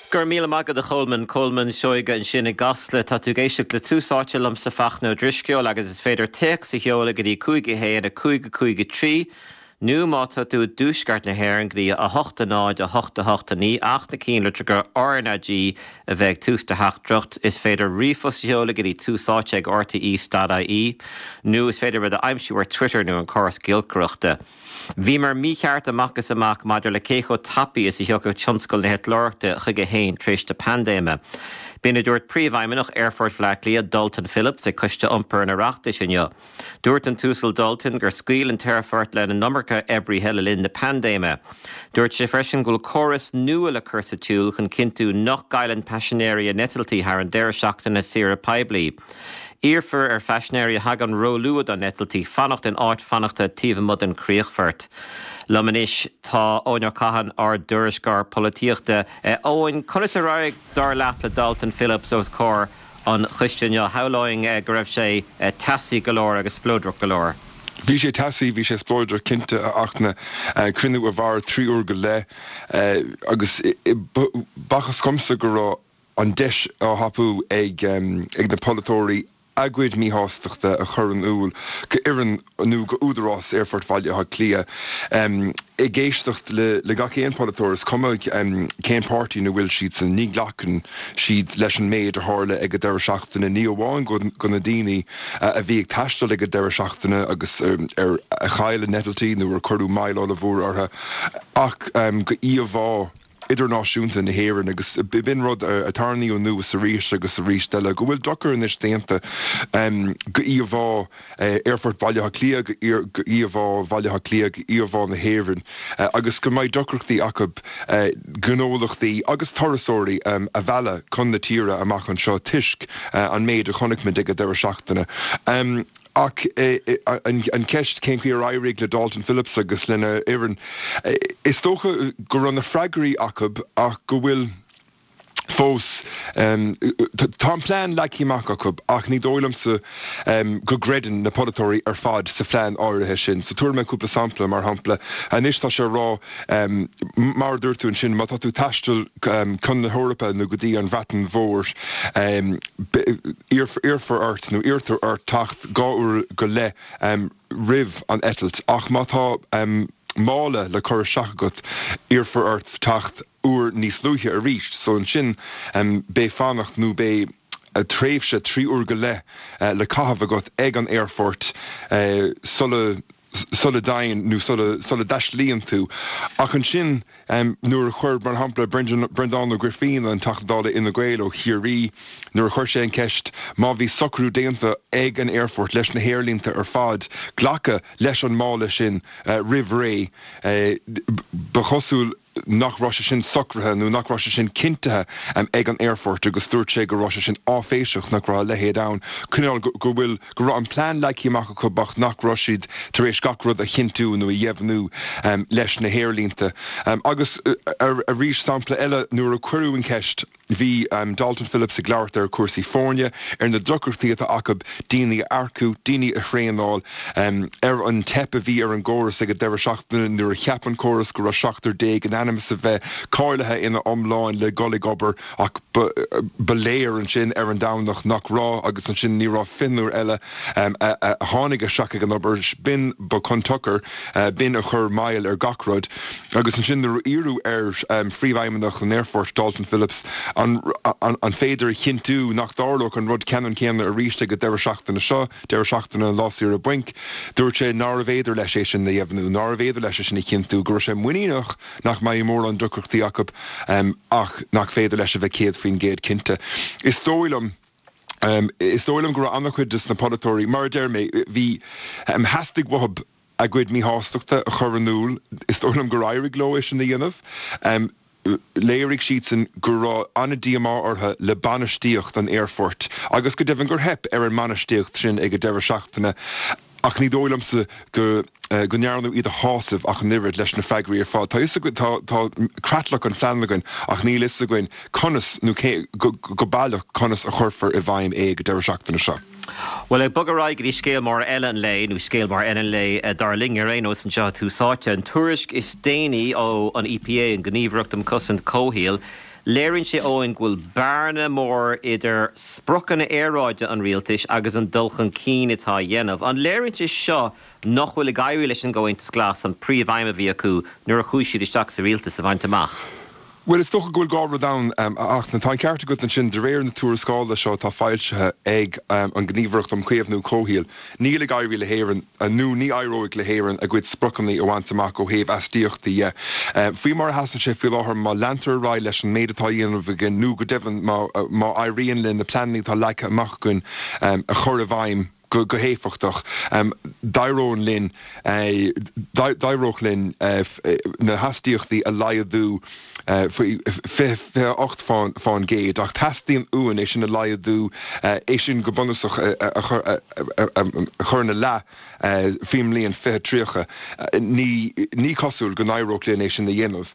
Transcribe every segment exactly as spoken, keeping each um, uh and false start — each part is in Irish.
Go raibh míle maith agat a Cholmáin Colmán Seoige ansin i gCasla tá tú ag éisteacht le Tús Áite liomsa Fachtna Ó Drisceoil agus is féidir téacs a sheoladh go dtí cúig a haon a cúig a cúig a trí nó má tá tú i dtuaisceart na hÉireann go dtí a hocht a náid a hocht a hocht a naoi ach na ceannlitreacha RnaG a bheith ag tús do theachtaireacht is féidir ríomhphost a sheoladh go dtí túsáite ag RTE dot IE nó is féidir muid a aimsiú ar Twitter nó an córas giolcaireachta. Bhíomar mícheart amach is amach maidir le cé chomh tapaidh is a thiocfadh tionscal na heitleoireachta chuige féin tar éis na paindéime. B'in a dúirt Príomhfheidhmeannach Aerfort Bhaile Átha Cliath Dalton Phillips ag Coiste Iompair an Oireachtais inniu. Dúirt an tUasal Dalton gur scaoil an t-aerfort lena iomarca oibrithe le linn na paindéime. Dúirt sé freisin go bhfuil córas nua le cur sa tsiúl chun cinntiú nach gcailleann paisinéirí a n-eitiltí thar an deireadh seachtaine saoire poiblí. Iarrfar ar phaisinéirí a thagann róluath dá n-eitiltí fanacht in áit fanachta taobh amuigh den chríochfort. Liom anois tá Eoin Ó Catháin ár dtuairisceoir polaitíochta. Eoin, conas ar éirigh dar leat le Dalton Phillips os comhair an choiste inniu shamhlóinn go raibh sé teasaí go leor agus spleodrach go leor. Bhí sé teasaí, bhí sé spleodrach cinnte a Fhachtna cruinniú a mhair trí uair go leith agus b'fhacthas dhomsa go raibh an deis á thapú ag ag na polaiteoirí a gcuid míshástachta a chur in iúl go fhoireann nó go údarás Aerfort Bhaile Átha Cliath. Ag éisteacht le le gach aon polaiteoir, is cuma cén páirtí ina bhfuil siadsan, ní ghlacann siad leis an méid a tharla ag an deireadh seachtaine, ní amháin go go na daoine a bhí ag taisteal ag an deireadh seachtaine agus ar a chaill a n-eitiltí nó ar cuireadh moill ollmhór orthu ach go íomhá idirnáisiúnta na hÉireann agus b'in rud a tarraingíodh anuas arís agus arís eile, go bhfuil dochar anois déanta go íomhá Aerfort Bhaile Átha Cliath, go íomhá Bhaile Átha Cliath, go íomhá na hÉireann agus go mbeidh deacrachtaí acu gnólachtaí agus turasóirí a mhealladh chun na tíre amach anseo toisc an méid a chonaic muid ag an deireadh seachtaine. Ach an cheist cén chaoi ar éirigh le Dalton Phillips agus lena fhoireann, is dócha go raibh na freagraí acu ach go bhfuil fós, tá an plean leagtha amach acu ach ní dóigh liomsa go gcreideann na polaiteoirí ar fad sa phlean áirithe sin. So tabharfaidh mé cúpla sampla, mar shampla, anois tá sé a rá, mar a dúirt tú ansin, má tá tú ag taisteal chun na hEorpa nó go dtí an Bhreatain Mhór, iarrfar ort nó iarrtar ort teacht dhá uair go leith roimh an eitilt ach má tá mála le cur isteach agat iarrfar ort teacht uair níos luaithe arís. So ansin beidh fanacht nó beidh tréimhse trí uair go leith le caitheamh agat ag an aerfort sula sula dtéann nó sula sula dtaistealaíonn tú. Ach ansin nuair a chuir, mar shampla, Breandán Ó Grifín, an Teachta Dála Fhine Gael ó Chiarraí, nuair a chuir sé an cheist má bhí socrú déanta ag an aerfort leis na haerlínte ar fad glacadh leis an mála sin roimh ré, ba chosúil nach raibh sé sin socraithe nó nach raibh sé sin cinntithe ag an aerfort agus dúirt sé go raibh sé sin áiféiseach nach raibh a leithéid ann, cineál go bhfuil, go raibh an plean leagtha amach acu ach nach raibh siad tar éis gach rud a chinntiú nó a dheimhniú leis na haerlínte. Agus arís sampla eile, nuair a cuireadh an cheist, Bhí Dalton Phillips ag labhairt ar chúrsaí foirne, ar na deacrachtaí atá acu daoine a earcú, daoine a thraenáil, ar an teip a bhí ar an gcóras ag an deireadh seachtaine nuair a cheap an córas go raibh seachtar déag in ainm is a bheith cáilithe ina iomláin le dhul ag obair ach ba léir ansin ar an Domhnach nach raibh agus ansin ní raibh fiche eile a tháinig isteach ag an obair. B'in ba chun tsochair, b'in a chuir moill ar gach rud. Agus ansin nuair a iarradh ar Phríomhfheidhmeannach an Aerfoirt, Dalton Phillips, an an féidir a chinntiú nach dtarlódh an rud ceannann céanna arís ag an deireadh seachtaine seo, deireadh seachtaine an lá saoire bainc, dúirt sé nárbh fhéidir leis é sin a dheimhniú, nárbh fhéidir leis é sin a chinntiú, go raibh sé muiníneach nach mbeidh mórán deacrachtaí acu ach nach féidir leis a bheith céad faoin gcéad cinnte. Is dóigh liom. Is dóigh liom go raibh an-chuid de na polaiteoirí, mar a deir mé, bhí, theastaigh uathu a gcuid míshástachta a chur in iúl, is dóigh liom gur éirigh leo é sin a dhéanamh. Léirigh siadsan go raibh an-díomá orthu le bainistíocht an aerfoirt agus go deimhin gur theip ar an mbainistíocht sin ag an deireadh seachtaine ach ní dóigh liomsa go go ndearnadh iad a shásamh ach an oiread leis na freagraí ar fad. Tá fhios againn, tá tá creatlach an phlean againn ach níl fhios againn conas nó cé go go baileach conas a chuirfear i bhfeidhm é ag an deireadh seachtaine seo. Bhuel, ag bogadh ar aghaidh go dtí scéal mór eile an lae, nó scéal mór eile an lae dar linn ar aon nós anseo i Tús Áite, an tuairisc is déanaí ó an EPA, an Ghníomhaireacht um Chosaint Comhshaoil, Léiríonn sé Eoin go bhfuil bearna mór idir spriocanna aeráide an rialtais agus an dul chun cinn atá á dhéanamh. An léiríonn sé seo nach bhfuil ag éirí leis an gComhaontas Glas an príomhaidhm a bhí acu nuair a chuaigh siad isteach sa rialtas a bhaint amach. Well is dócha go bhfuil dhá rud ann ach tá an ceart agat ansin de réir na tuarascála seo atá foilsithe ag an Gníomhaireacht um Chaomhnú Comhshaoil. Níl ag éirí le hÉirinn nó ní éireoidh le hÉirinn a gcuid spriocanna a bhaint amach ó thaobh astaíochtaí dhe. Faoi mar a sheasann sé faoi láthair má leantar ar aghaidh leis an méid atá á dhéanamh againn nó go deimhin má éiríonn linn na pleananna atá leagtha amach againn a chur i bhfeidhm go go héifeachtach. D'éireodh linn d'éireodh linn na hastaíochtaí a laghdú faoi fiche a hocht faoin gcéad ach teastaíonn uainn é sin a laghdú é sin go bunúsach a chur ina leath faoin mbliain fiche tríocha. Ní ní cosúil go n-éireodh linn é sin a dhéanamh.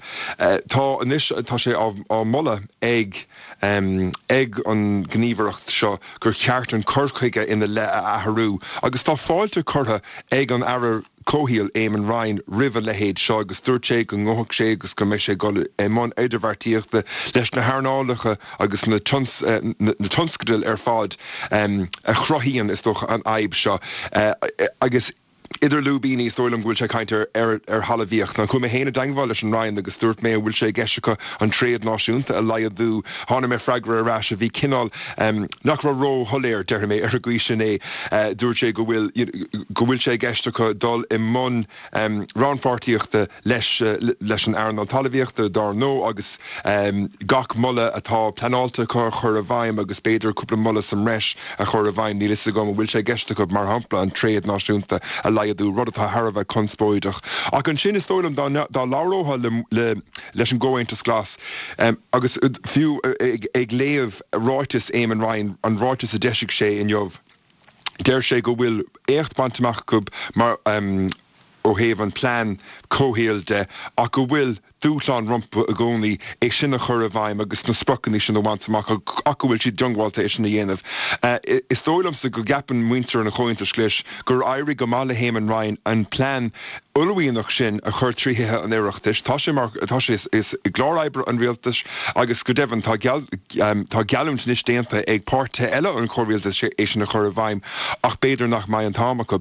Tá anois tá sé á moladh ag ag an ngníomhaireacht seo gur cheart an cur chuige ina leith a athrú agus tá fáilte curtha ag an Aire Comhshaoil Eamon Ryan roimh a leithéid seo agus dúirt sé go ngabhfadh sé agus go mbeidh sé ag dul i mbun idirbheartaíochta leis na hearnálacha agus na na tionscadail ar fad a chruthaíonn is dócha an fhadhb seo agus Idir lúibíní, is dóigh liom go bhfuil sé ag caint ar ar thalmhaíocht. Now chuaigh mé féin i dteangmháil leis an Roinn agus dúirt mé an bhfuil sé i gceist acu an tréad náisiúnta a laghdú. Tháinig mé freagra ar ais a bhí cineál nach raibh ró-shoiléir, déarfaidh mé ar an gcaoi sin é. Dúirt sé go bhfuil go bhfuil sé i gceist acu dul i mbun rannpháirtíochta leis leis an earnáil talmhaíochta, dár ndóigh, agus gach moladh atá pleanáilte acu a chur i bhfeidhm agus b'fhéidir cúpla moladh sa mbreis a chur i bhfeidhm. Níl a fhios agam an bhfuil sé i gceist acu, mar shampla, an tréad náisiúnta a laghdú, rud atá thar a bheith conspóideach. Ach ansin, is dóigh liom, dá labhrófá leis an gComhaontas Glas, agus fiú ag léamh ráiteas Eamon Ryan, an ráiteas a d'eisigh sé inniu, deir sé go bhfuil éacht bainte amach acu mar ó thaobh an plean comhshaoil de ach go bhfuil dúshlán rompu i gcónaí é sin a chur i bhfeidhm agus na spriocanna sin a bhaint amach ach go bhfuil siad diongbháilte é sin a dhéanamh. Is dóigh liomsa go gceapann muintir an Chomhaontais Ghlais gur éirigh go maith le hÉamon Ryan an plean uaillmhianach sin a chur trí Thithe an Oireachtais. Tá sé mar tá sé i gclár oibre an rialtais agus go deimhin tá tá geallúint anois déanta ag páirtithe eile an chomhrialtais é sin a chur i bhfeidhm ach b'fhéidir nach mbeidh an t-am acu.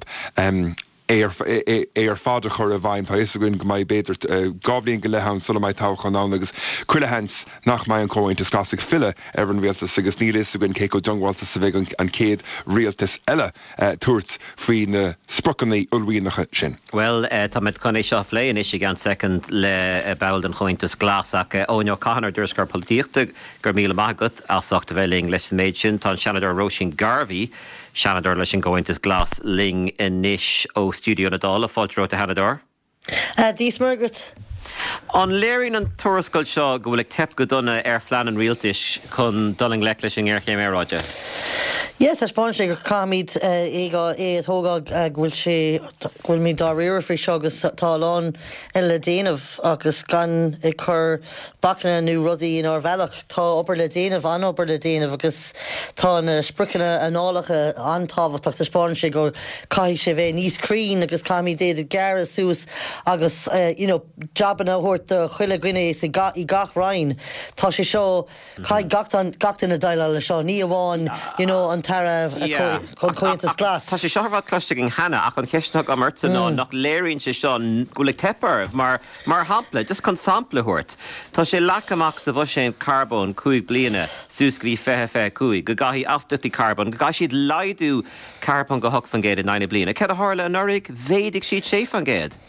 é ar fad a chur i bhfeidhm. Tá a fhios againn go mbeidh b'fhéidir dhá bhliain go leith ann sula mbeidh toghchán ann agus chuile sheans nach mbeidh an Comhaontas Glas ag filleadh ar an rialtas agus níl a fhios againn cé chomh diongbháilte is a bheidh an chéad rialtas eile tabhairt faoi na spriocanna uaillmhianacha sin. Bhuel, táimid chun é seo a phlé anois i gceann soicind le ball den Chomhaontas Glas ach Eoin Ó Catháin, ár dtuairisceoir polaitíochta, go raibh míle maith agat as ucht a bheith linn leis an méid sin. Tá an Seanadóir Róisín Garvey, Seanadóir leis an gComhaontas Glas linn anois ó stiúideo na Dála. Fáilte romhat, a Sheanadóir. Dia is Muire dhuit. An léiríonn an tuarascáil seo go bhfuil ag teip go dona ar phlean an rialtais chun dul i ngleic leis an ngéarchéim aeráide? Yes, taispeánann sé go caithfimid é a thógáil, go bhfuil sé, go bhfuilimid dáiríre faoi seo agus tá a lán eile le déanamh agus gan ag cur bacanna nó rudaí inár bhealach. Tá obair le déanamh, an-obair le déanamh agus tá na spriocanna earnálacha an-tábhachtach. Taispeánann sé go caithfidh sé bheith níos cruinn agus caithfimid iad a ghearradh suas agus you know jabanna a thabhairt do chuile dhuine i gach roinn. Tá sé seo, caithfidh gach duine déileáil leis seo, ní amháin you know an tAire Comhaontas Glas. Tá sé seo ar fad cloiste againn cheana ach an cheist atá agam ortsa ná nach léiríonn sé seo go bhfuil ag teip oraibh mar Mar shampla, just chun sampla a thabhairt, tá sé leagtha amach sa bhuiséad carbóin cúig bliana suas go dtí fiche fiche a cúig go gcaithfidh astaíochtaí carbóin, go gcaithfidh siad laghdú ceathair ponc a hocht faoin gcéad in aghaidh na bliana. Céard a tharla anuraidh? Mhéadaigh siad sé faoin gcéad.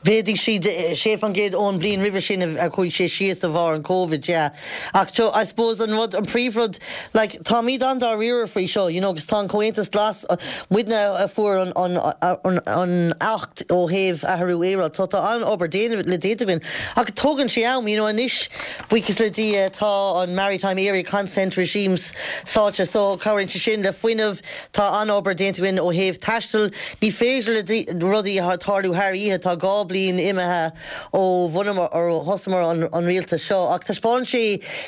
Mhéadaigh siad sé faoin gcéad ón mbliain roimhe sin a chuaigh sé síos de bharr an Covid, yeah. Ach so, I suppose an rud, an príomhrud, like, táimid an-dáiríre faoi seo, you know, agus tá an Comhaontas Glas, muidne a fuair an, an, an, an Acht ó thaobh athrú aeráide, tá, tá an-obair déanamh, le déanta againn. Ach tógann sé am, you know, anois, buíochas le Dia, tá an Maritime Area Consent Regimes sáite, so cabhraíonn sé sin le fuinneamh, tá an-obair déanta againn ó thaobh taistil, ní féidir le rudaí tarlú thar oíche, tá dhá bliain imithe ó bhunamar ó thosaíomar an, an rialtas seo ach taispeánann sé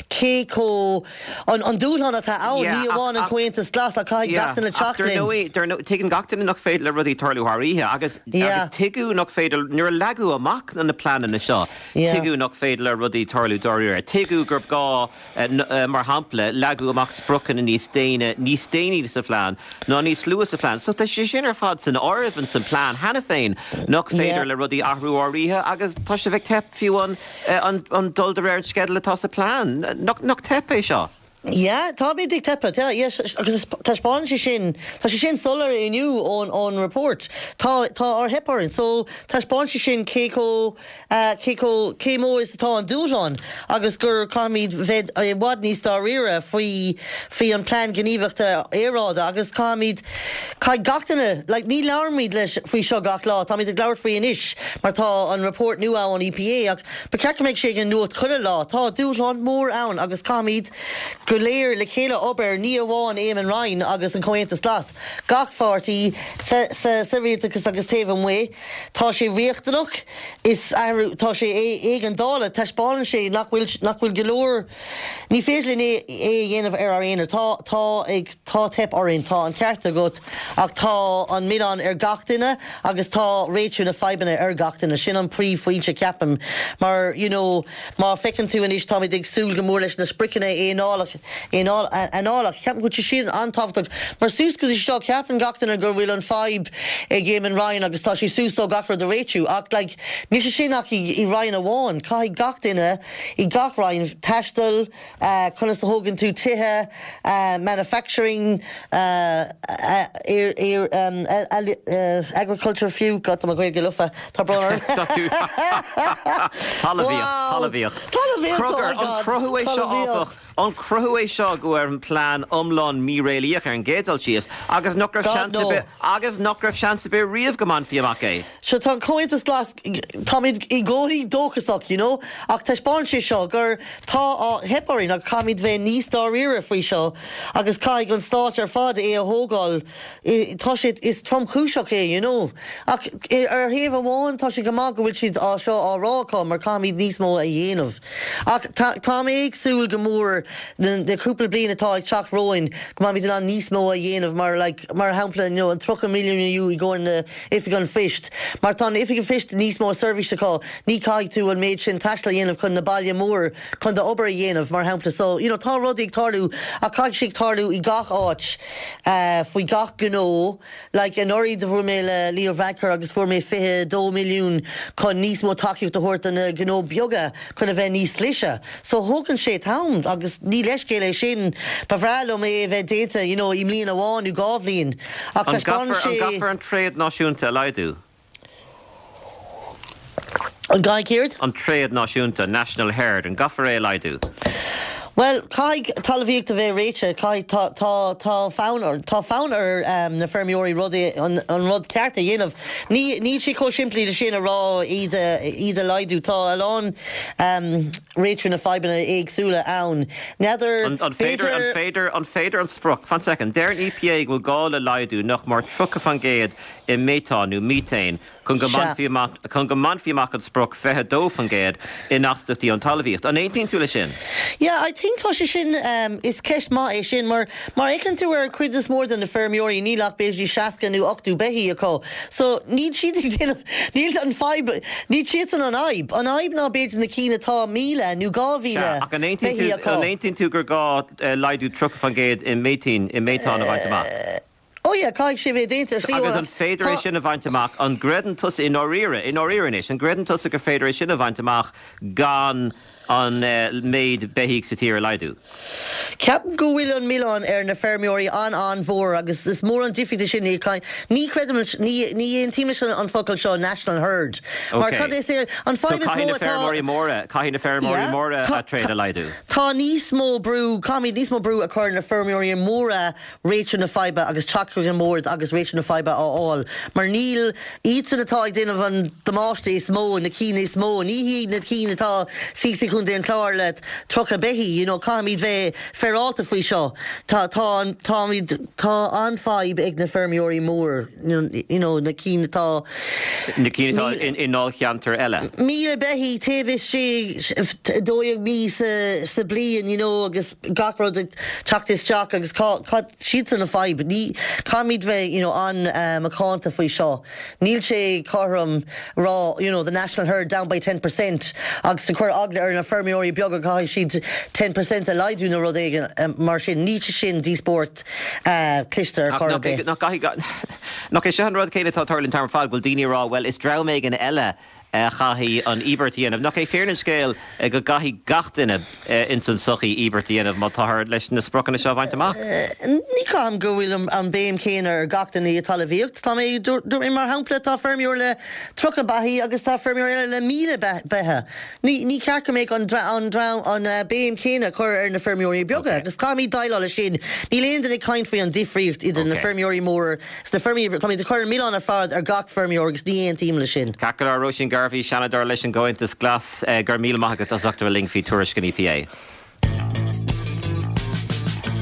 cé chomh an, an dúshlán atá ann ní amháin an Comhaontas Glas ach caithfidh gach duine teacht linn. Tuigeann gach duine nach féidir le rudaí tarlú thar oíche agus tuigeadh nach féidir nuair a leagadh amach na pleananna seo tuigeadh nach féidir le rudaí tarlú dáiríre. Tuigeadh gur gá mar shampla leagadh amach spriocanna níos déine níos déanaí sa phlean ná níos luaithe sa phlean. So tá sé sin ar fad san áireamh san plean cheana féin nach féidir le rudaí athrú thar oíche agus tá sé ag teip fiú an, an, an dul de réir an sceidil atá sa plean. Nach, nach teip é seo. Yeah, táimid ag teipeadh, yes, agus taispeánann sé sin, tá sé sin soiléir inniu ón ón report. Tá tá ár theip orainn, so taispeánann sé sin cé chomh uh, cé chomh cé mór is atá an dúshlán agus gur caithfimid bheith i bhfad níos dáiríre faoi faoi an plean gníomhaíochta aeráide agus caithfimid caithfidh gach duine, like, ní labhraímid leis faoi seo gach lá, táimid ag labhairt faoi anois mar tá an report nua ón EPA ach ba cheart go mbeadh sé ag an nuacht chuile lá, tá dúshlán mór ann agus caithfimid go léir le chéile obair ní amháin Eamon Ryan agus an Comhaontas Glas. Gach páirtí sa, sa, sa rialtas agus taobh amuigh, tá sé riachtanach is athrú tá sé éigeandála taispeánann sé nach bhfuil nach bhfuil go leor ní féidir linn é é a dhéanamh ar ár aonar. Tá tá ag tá teip orainn, tá an ceart agat ach tá an milleán ar gach duine agus tá réitiú na fadhbanna ar gach duine. Sin an príomhphointe ceapaim mar you know, má feiceann tú anois táimid ag súil go mór leis na spriocanna aonálach análach ceapaim go bhfuil siad an-tábhachtach mar suas go dtí seo ceapann gach duine gur bhfuil an fadhb ag Eamon Ryan agus tá sé suas dó gach rud a réitiú ach like, níl sé sin ach i, i Ryan amháin caithfidh gach duine i gach roinn taisteal uh, conas a thógann tú tithe uh, manufacturing uh, uh, air, air, um, uh, agriculture fiú God tá mo Ghaeilge lofa tá brón Talmhaíocht, talmhaíocht. Talmhaíocht, Kroger, oh my an God, cruthú é seo talmhaíocht. áfach, an cruthú é seo go ar an plean iomlán míréalaíoch ar an gcéad dul síos, agus nach raibh God, seans no. ar bith- agus nach raibh seans ar bith riamh go mbainfí amach é. So tá Comhaontas Glas táimid i gcónaí dóchasach, you know, ach taispeánann sé seo gur tá á theip orainn ach caithfimid bheith níos dáiríre faoi seo agus caithfidh an stát ar fad é a thógáil I- tá sé is tromchúiseach é, you know. Ach i- ar thaobh amháin tá sé go maith go bhfuil siad á seo á rá acu mar caithfimid níos mó a dhéanamh. Ach tá tá mé ag súil go mór na na cúpla bliain atá ag teacht romhainn go mbeimid in ann níos mó a dhéanamh mar like, mar shampla you know, an tríocha milliún inniu i gcomhair na Oifig an Phoist. Mar tá an Oifig an Phoist níos mó seirbhís acu ní caithfidh tú an méid sin taistil a dhéanamh chun na baile mór chun d'obair a dhéanamh mar shampla so you know, tá rudaí ag tarlú ach caithfidh sé ag tarlú i gach áit uh, faoi gach gnó like anuraidh do bhuail mé le Leo Varadkar agus fuair mé fiche dó milliún chun níos mó tacaíocht a thabhairt do na gnó beaga chun a bheith níos slise. So thógann sé t-am agus ní leithscéal é sin ba bhreá liom é bheith déanta you know, i mbliain amháin nó dhá bhliain. Ach An taispeánann gcaithfear an sé gcaithfear an tréad náisiúnta a laghdú? an gcaithfidh céard? An tréad náisiúnta, National Herd, an gcaithfear é a laghdú. Well, caithfidh talmhaíocht a bheith réitithe caithfidh tá tá tá fonn ar tá fonn ar um, na feirmeoirí rudaí an, an rud ceart a dhéanamh. Ní níl sé chomh simplí le sin a rá iad a- iad a laghdú tá a lán um, réitiú na fadhbanna éagsúla ann. N'fheadar An, an féidir an féidir an féidir an sprioc fan second deir an EPA go bhfuil gá le laghdú nach mór tríocha faoin gcéad i méatán nó methane chun go Sea. mbainfí amach chun go mbainfí amach an sprioc fiche dó faoin gcéad in astaíochtaí an talmhaíocht. An aontaíonn tú le sin? Yeah, I think tá sé sin um, is ceist maith é sin mar mar fheiceann tú ar cuid is mór de na feirmeoirí níl ach b'fhéidir seasca nó ochtó beithíoch acu. So níl siad ag déanamh níl an fadhb níl siad an an fhadhb. An fhadhb ná b'fhéidir na cinn atá míle nó dhá mhíle Ach an aontaíonn beithíoch tú acu. an aontaíonn tú gur gá eh, laghdú tríocha faoin gcéad i méatán i méatán a bhaint amach. Oh yeah, caithfidh sé bheith déanta slí Agus an féidir é sin a bhaint amach an gcreideann tusa i ndáiríre i ndáiríre anois, an gcreideann tusa gur féidir é sin a bhaint amach gan an uh, méid beithíoch sa tír a laghdú. Ceapaim go bhfuil an milleán ar na feirmeoirí an an-mhór agus is mór an difríocht sin ní ní chreidim ní ní aontaím leis an focal seo national herd. Mar Okay. cad is é an So fadhb is caithfidh mó na feirmeoirí móra caithfidh na feirmeoirí Yeah, móra tá- a tréad a laghdú. Tá níos mó brú caithfimid níos mó brú a chur na feirmeoirí móra réitiú na faidhbe agus teacht chuig an mbord agus réitiú na faidhbe á fháil. Mar níl iadsan atá ag déanamh an damáiste is mó na cinn is mó, ní hí na cinn atá sí chun an chlár le tríocha beithíoch, you know, caithfimid bheith féaráilte faoi seo. Tá tá táimid tá an-fhadhb ag na feirmeoirí mór you know, na cinn atá na cinn atá in i ndáilcheantair eile. Míle beithíoch taobh istigh dó dhéag mí sa sa bliain you know, agus gach rud ag teacht isteach agus siad an fhadhb ní caithfimid bheith you know, an uh, macánta faoi seo. Níl sé cothrom rá you know, the national herd down by ten percent agus a chur eagla ar na feirmeoirí beaga caithfidh siad ten percent a laghdú nó rud éigin um, mar sin níl sé sin díospóireacht uh, cliste ar chor ar bith. Nach é seo an rud céanna atá tarlaíonn an t-am ar fad bhfuil daoine rá well is dream éigin eile a chaithfidh an íobairt a dhéanamh. Nach é fírinne an scéil go gcaithfidh gach duine ins an sochaí íobairt a dhéanamh má táthar leis na spriocanna seo a bhaint amach? Ní chaithim go bhfuil an béim céanna ar gach duine i talmhaíocht. Tá mé dúirt mé mar shampla tá feirmeoir le tríocha beithíoch agus tá feirmeoir eile le míle beithe. Ní ní ceart go mbeadh an an an béim céanna chur ar na feirmeoirí beaga agus caithfimid déileáil leis sin. Níl aon duine ag caint faoi an difríocht idir na feirmeoirí móra is na feirmeoirí tá mé chur milleán ar fad ar gach feirmeoir agus ní aontaím leis sin. Ceart go leor Róisín Garvey Seanadóir leis an gComhaontas Glas go raibh míle maith agat as ucht a bheith linn faoi tuairisc an E P A.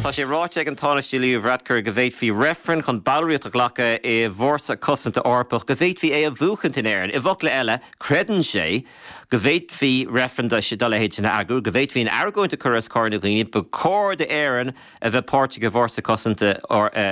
Tá sé ráite ag an Tánaiste Leo Varadkar go bhféadfaí reifreann chun ballraíocht a ghlacadh i bhFórsa Cosanta Eorpach go bhféadfaí é a bhuachaint in Éirinn. I bhfocla eile, creideann sé go bhféadfaí reifreann dá leithéid sin a eagrú, go bhféadfaí an argóint a chur os comhair na ndaoine, ba chóir d'Éirinn a bheith páirteach i bhFórsa Cosanta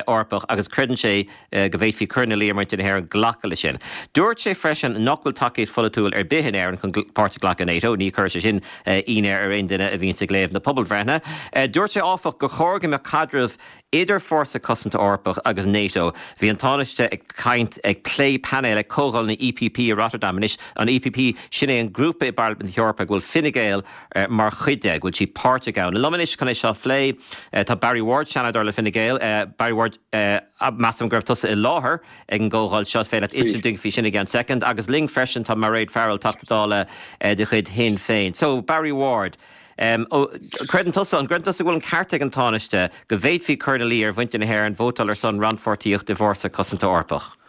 Eorpach agus creideann sé go bhféadfaí cur ina luí ar mhuintir na hÉireann glacadh leis sin. Dúirt sé freisin nach bhfuil tacaíocht pholaitiúil ar bith in Éirinn chun páirt a ghlacadh in NATO, ní chuir sé sin ionadh ar aon duine a bhíonn ag léamh na pobalbhreitheanna. Dúirt sé áfach gur chóir go mbeadh caidreamh idir Fórsa Cosanta Eorpach agus NATO. Bhí an Tánaiste ag caint ag plé painéil ag comhdháil na E P P i Rotterdam anois an E P P sin é an grúpa i bParlaimint na hEorpa go bhfuil Fine Gael mar chuid de, go bhfuil siad páirteach ann. Liom anois chun é seo a phlé tá Barry Ward Seanadóir le Fine Gael, Barry Ward measaim go raibh tusa i láthair ag an gcomhdháil seo féile insint dúinn faoi sin i gceann soicind, agus linn freisin tá Mairéad Farrell Teachta Dála de chuid Shinn Féin. So Barry Ward, Um, creideann tusa an gcreideann tusa go bhfuil an ceart ag an Tánaiste go bhféadfaí cur ina luí ar mhuintir na hÉireann vótáil ar son rannpháirtíocht i bhFórsa Cosanta Eorpach?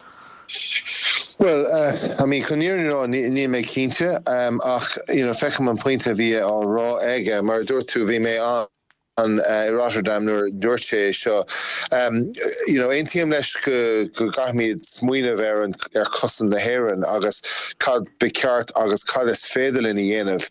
Well, uh, I mean, chun an fhírinne níl mé cinnte um, ach you know, feicim an pointe a bhí á rá aige mar dúirt tú bhí mé an an uh, i Rotterdam nuair dúirt sé seo. Um, you know, aontaím leis go go gcaithfimid smaoineamh ar an ar chosaint na hÉireann agus cad ba cheart agus cad is féidir linn a dhéanamh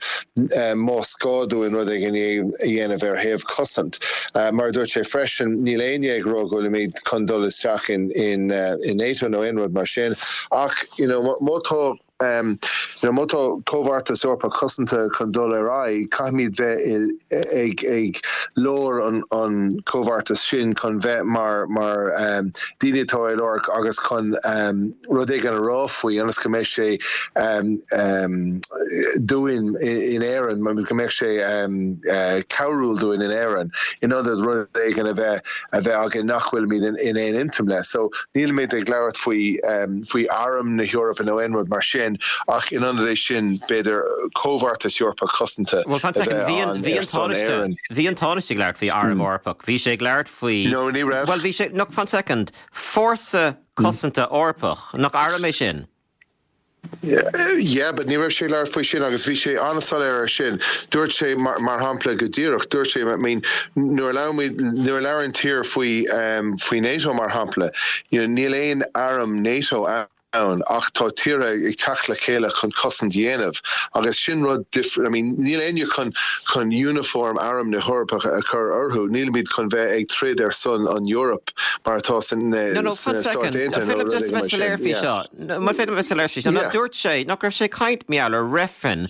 um, más gá dúinn rud éigin a dhéanamh ar thaobh cosaint. Uh, mar dúirt sé freisin níl éinne ag rá go bhfuilimid chun dul isteach in in uh, in NATO nó aon rud mar sin ach you know, má tá um, you know, má tá comhbheartas Eorpach cosanta chun dul ar aghaidh caithfimid bheith ag ag lár an an comhbheartas sin chun bheith mar mar um, daoine atá i lár agus chun um, rud éigin a rá faoi ionas go mbeidh sé um, um, dúinn in Éirinn mar go mbeidh sé um, uh, cabhrúil dúinn in Éirinn in ionad rud éigin a bheith a bheith againn nach bhfuilimid in, in aon intinn le. So nílimid ag labhairt faoi um, faoi arm na hEorpa nó aon rud mar sin ach in ionad é sin b'fhéidir comhbheartas Eorpach cosanta. Well, bhí an Tánaiste ag labhairt faoi arm Eorpach, Bhí sé ag labhairt faoi No, ní raibh. Well bhí sé nach fan second Fórsa Cosanta Eorpach nach arm é sin. Yeah, yeah, but ní raibh sé labhairt faoi sin agus bhí sé an-soiléir ar sin. Dúirt sé mar, mar shampla go díreach, dúirt sé I mean, nuair nuair labhrann tír faoi um, faoi NATO mar shampla, you know, níl aon arm NATO ann ach tá tíortha ag teacht le chéile chun cosaint dhéanamh agus sin rud different I mean níl éinne chun chun uniform arm na hEorpa a chur orthu nílimid chun bheith ag troid ar son an Europe mar atá san No no fan second Mar féidir seo dúirt sé nach raibh sé caint meall ar reifreann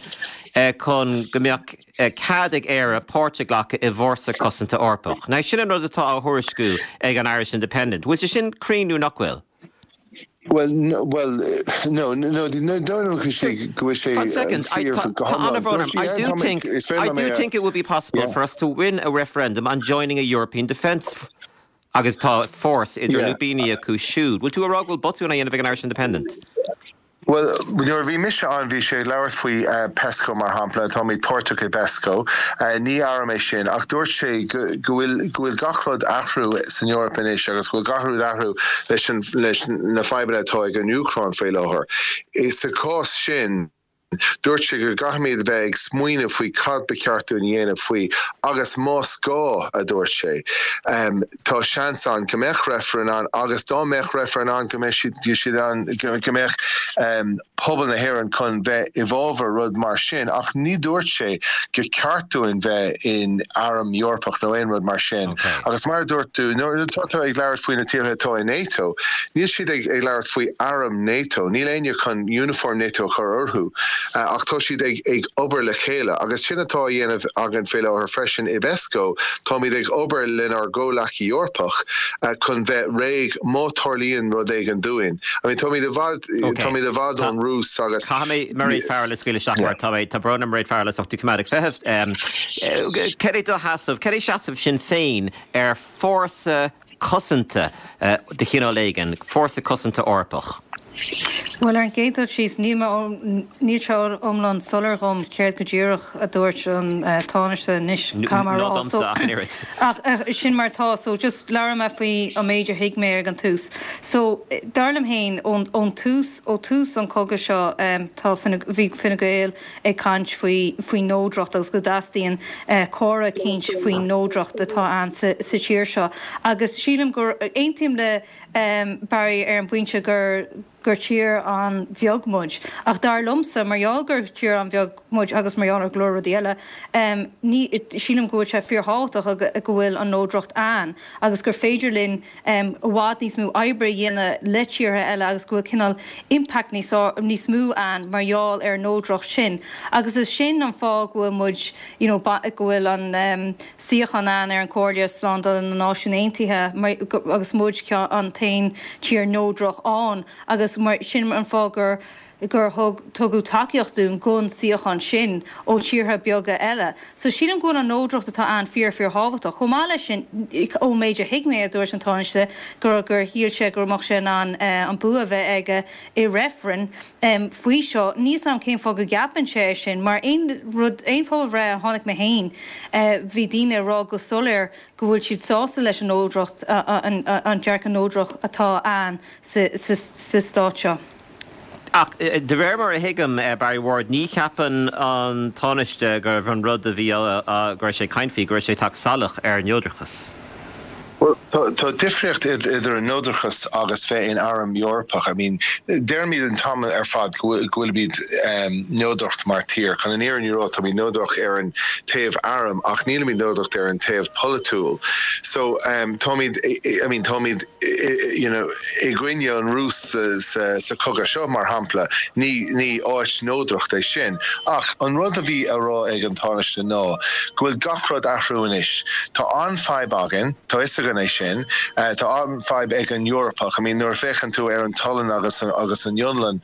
chun go mbeadh cead ag Éire páirt a ghlacadh i bhFórsa Cosanta Eorpach. Now sin an rud atá á thuairisciú ag an Irish Independent. Bhfuil sé sin cruinn nó nach bhfuil? Well, no, well, no, no, no, no, no, go sé second, I, I do think I do think it would be possible yeah. for us to win a referendum on joining a European defence agus tá force idir yeah. lúbíní acu siúd. Bhfuil tú ag rá go bhfuil botún á dhéanamh ag an Irish Independent? Well, nuair bhí mise ann bhí sé labhairt faoi uh, PESCO mar shampla táimid páirteach i PESCO uh, ní arm é sin ach dúirt sé go bhfuil go bhfuil gach rud athrú san Eoraip anois agus go bhfuil gach rud athrú leis an leis na fadhbanna atá ag an Úcráin faoi láthair. Is sa cás sin Dúirt sé go gcaithfimid bheith ag smaoineamh faoi cad ba cheart dúinn a dhéanamh faoi agus más gá, a dúirt sé, tá seans ann go mbeadh reifreann ann agus dá mbeadh reifreann ann go mbeadh siad ann go mbeadh pobal na hÉireann chun bheith i bhfabhar rud mar sin ach ní dúirt sé gur ceart dúinn bheith in arm Eorpach nó aon rud mar sin. Agus mar a dúirt tú, nuair atá tú ag labhairt faoi na tíortha atá i NATO, níl siad ag labhairt faoi arm NATO, níl éinne chun uniform NATO a chur orthu. Ach tá siad ag ag obair le chéile agus sin atá á dhéanamh againn faoi láthair freisin i bPesco, táimid ag obair lenár gcomhleacaí Eorpach chun bheith réidh má tarlaíonn rud éigin dúinn. I mean táimid i bhfad táimid i bhfad ón Rúis agus. Caithfidh mé Mairéad Farrell a scaoileadh isteach mar tá mé tá brón orm Mairéad Farrell is tú coimeád ag feitheamh. Cad é do sheasamh, cad é seasamh Sinn Féin ar fórsa cosanta de chineál éigin, fórsa cosanta Eorpach? Bhuel, ar an gcéad dul síos, níl mé, níl sé iomlán soiléir dhom céard go díreach a dúirt an Tánaiste anois, caithfidh mé a rá. So, ach sin mar atá, so just labhróidh mé faoi an méid a thuig mé ag an tús. So, dar liom féin, ón, ón tús, ó tús an cogadh seo, tá Fine, bhí Fine Gael ag caint faoi, faoin neodracht agus go dteastaíonn comhrá eicínt faoin neodracht atá ann sa, sa tír seo. Agus sílim gur, aontaím le Barry ar an bpointe gur gur tír an-bheag muid. Ach dar liomsa, mar gheall gur tír an-bheag muid agus mar gheall ar go leor rudaí eile, ní, sílim go bhfuil sé fíorthábhachtach go bhfuil an neodracht ann agus gur féidir linn i bhfad níos mó oibre a dhéanamh le tíortha eile agus go bhfuil cineál impact níos níos mó ann mar gheall ar an neodracht sin. Agus is sin an fáth go bhfuil muid, you know, go bhfuil an suíochán ann ar an Chomhairle Slándála na Náisiún Aontaithe agus muid an t-aon tír neodrach ann agus mar sin an fáth gur gur thug tugadh tacaíocht dúinn don suíochán sin ó tíortha beaga eile. So sílim go bhfuil an neodracht atá ann fíor fíor thábhachtach. Chomh maith leis sin, ón méid a thuig mé a dúirt an Tánaiste gur gur shíl sé go mbeadh sé in ann an bua a bheith aige i reifreann faoi seo. Níl 's a'm cén fáth go gceapann sé é sin, mar aon rud aon phobalbhreith a chonaic mé féin bhí daoine ag rá go soiléir go bhfuil siad sásta leis an neodracht an dearcadh neodrach atá ann sa sa stát seo. Ach de réir mar a thuigim, Barry Ward, ní cheapann an Tánaiste gurbh an rud a bhí go raibh sé ag caint faoi, go raibh sé ag teacht salach ar an neodrachas. Bhuel, tá difríocht idir an neodrachas agus bheith in arm Eorpach. I mean, deirimid an t-am ar fad go bhfuilimid neodrach mar tír. Chun an fhírinne a rá, táimid neodrach ar an taobh airm ach nílimid neodrach ar an taobh polaitiúil. So, táimid, I mean, táimid, you know, i gcoinne an Rúis sa chogadh seo, mar shampla. Ní, ní áit neodracht é sin. Ach an rud a bhí á rá ag an Tánaiste ná go bhfuil gach rud athrú anois. Tá an-fhadhb againn, tá fhios againn é sin, tá an-fhadhb ag an Eorpach. I mean, nuair a féachann tú ar an tSualainn agus, agus an Fhionlainn,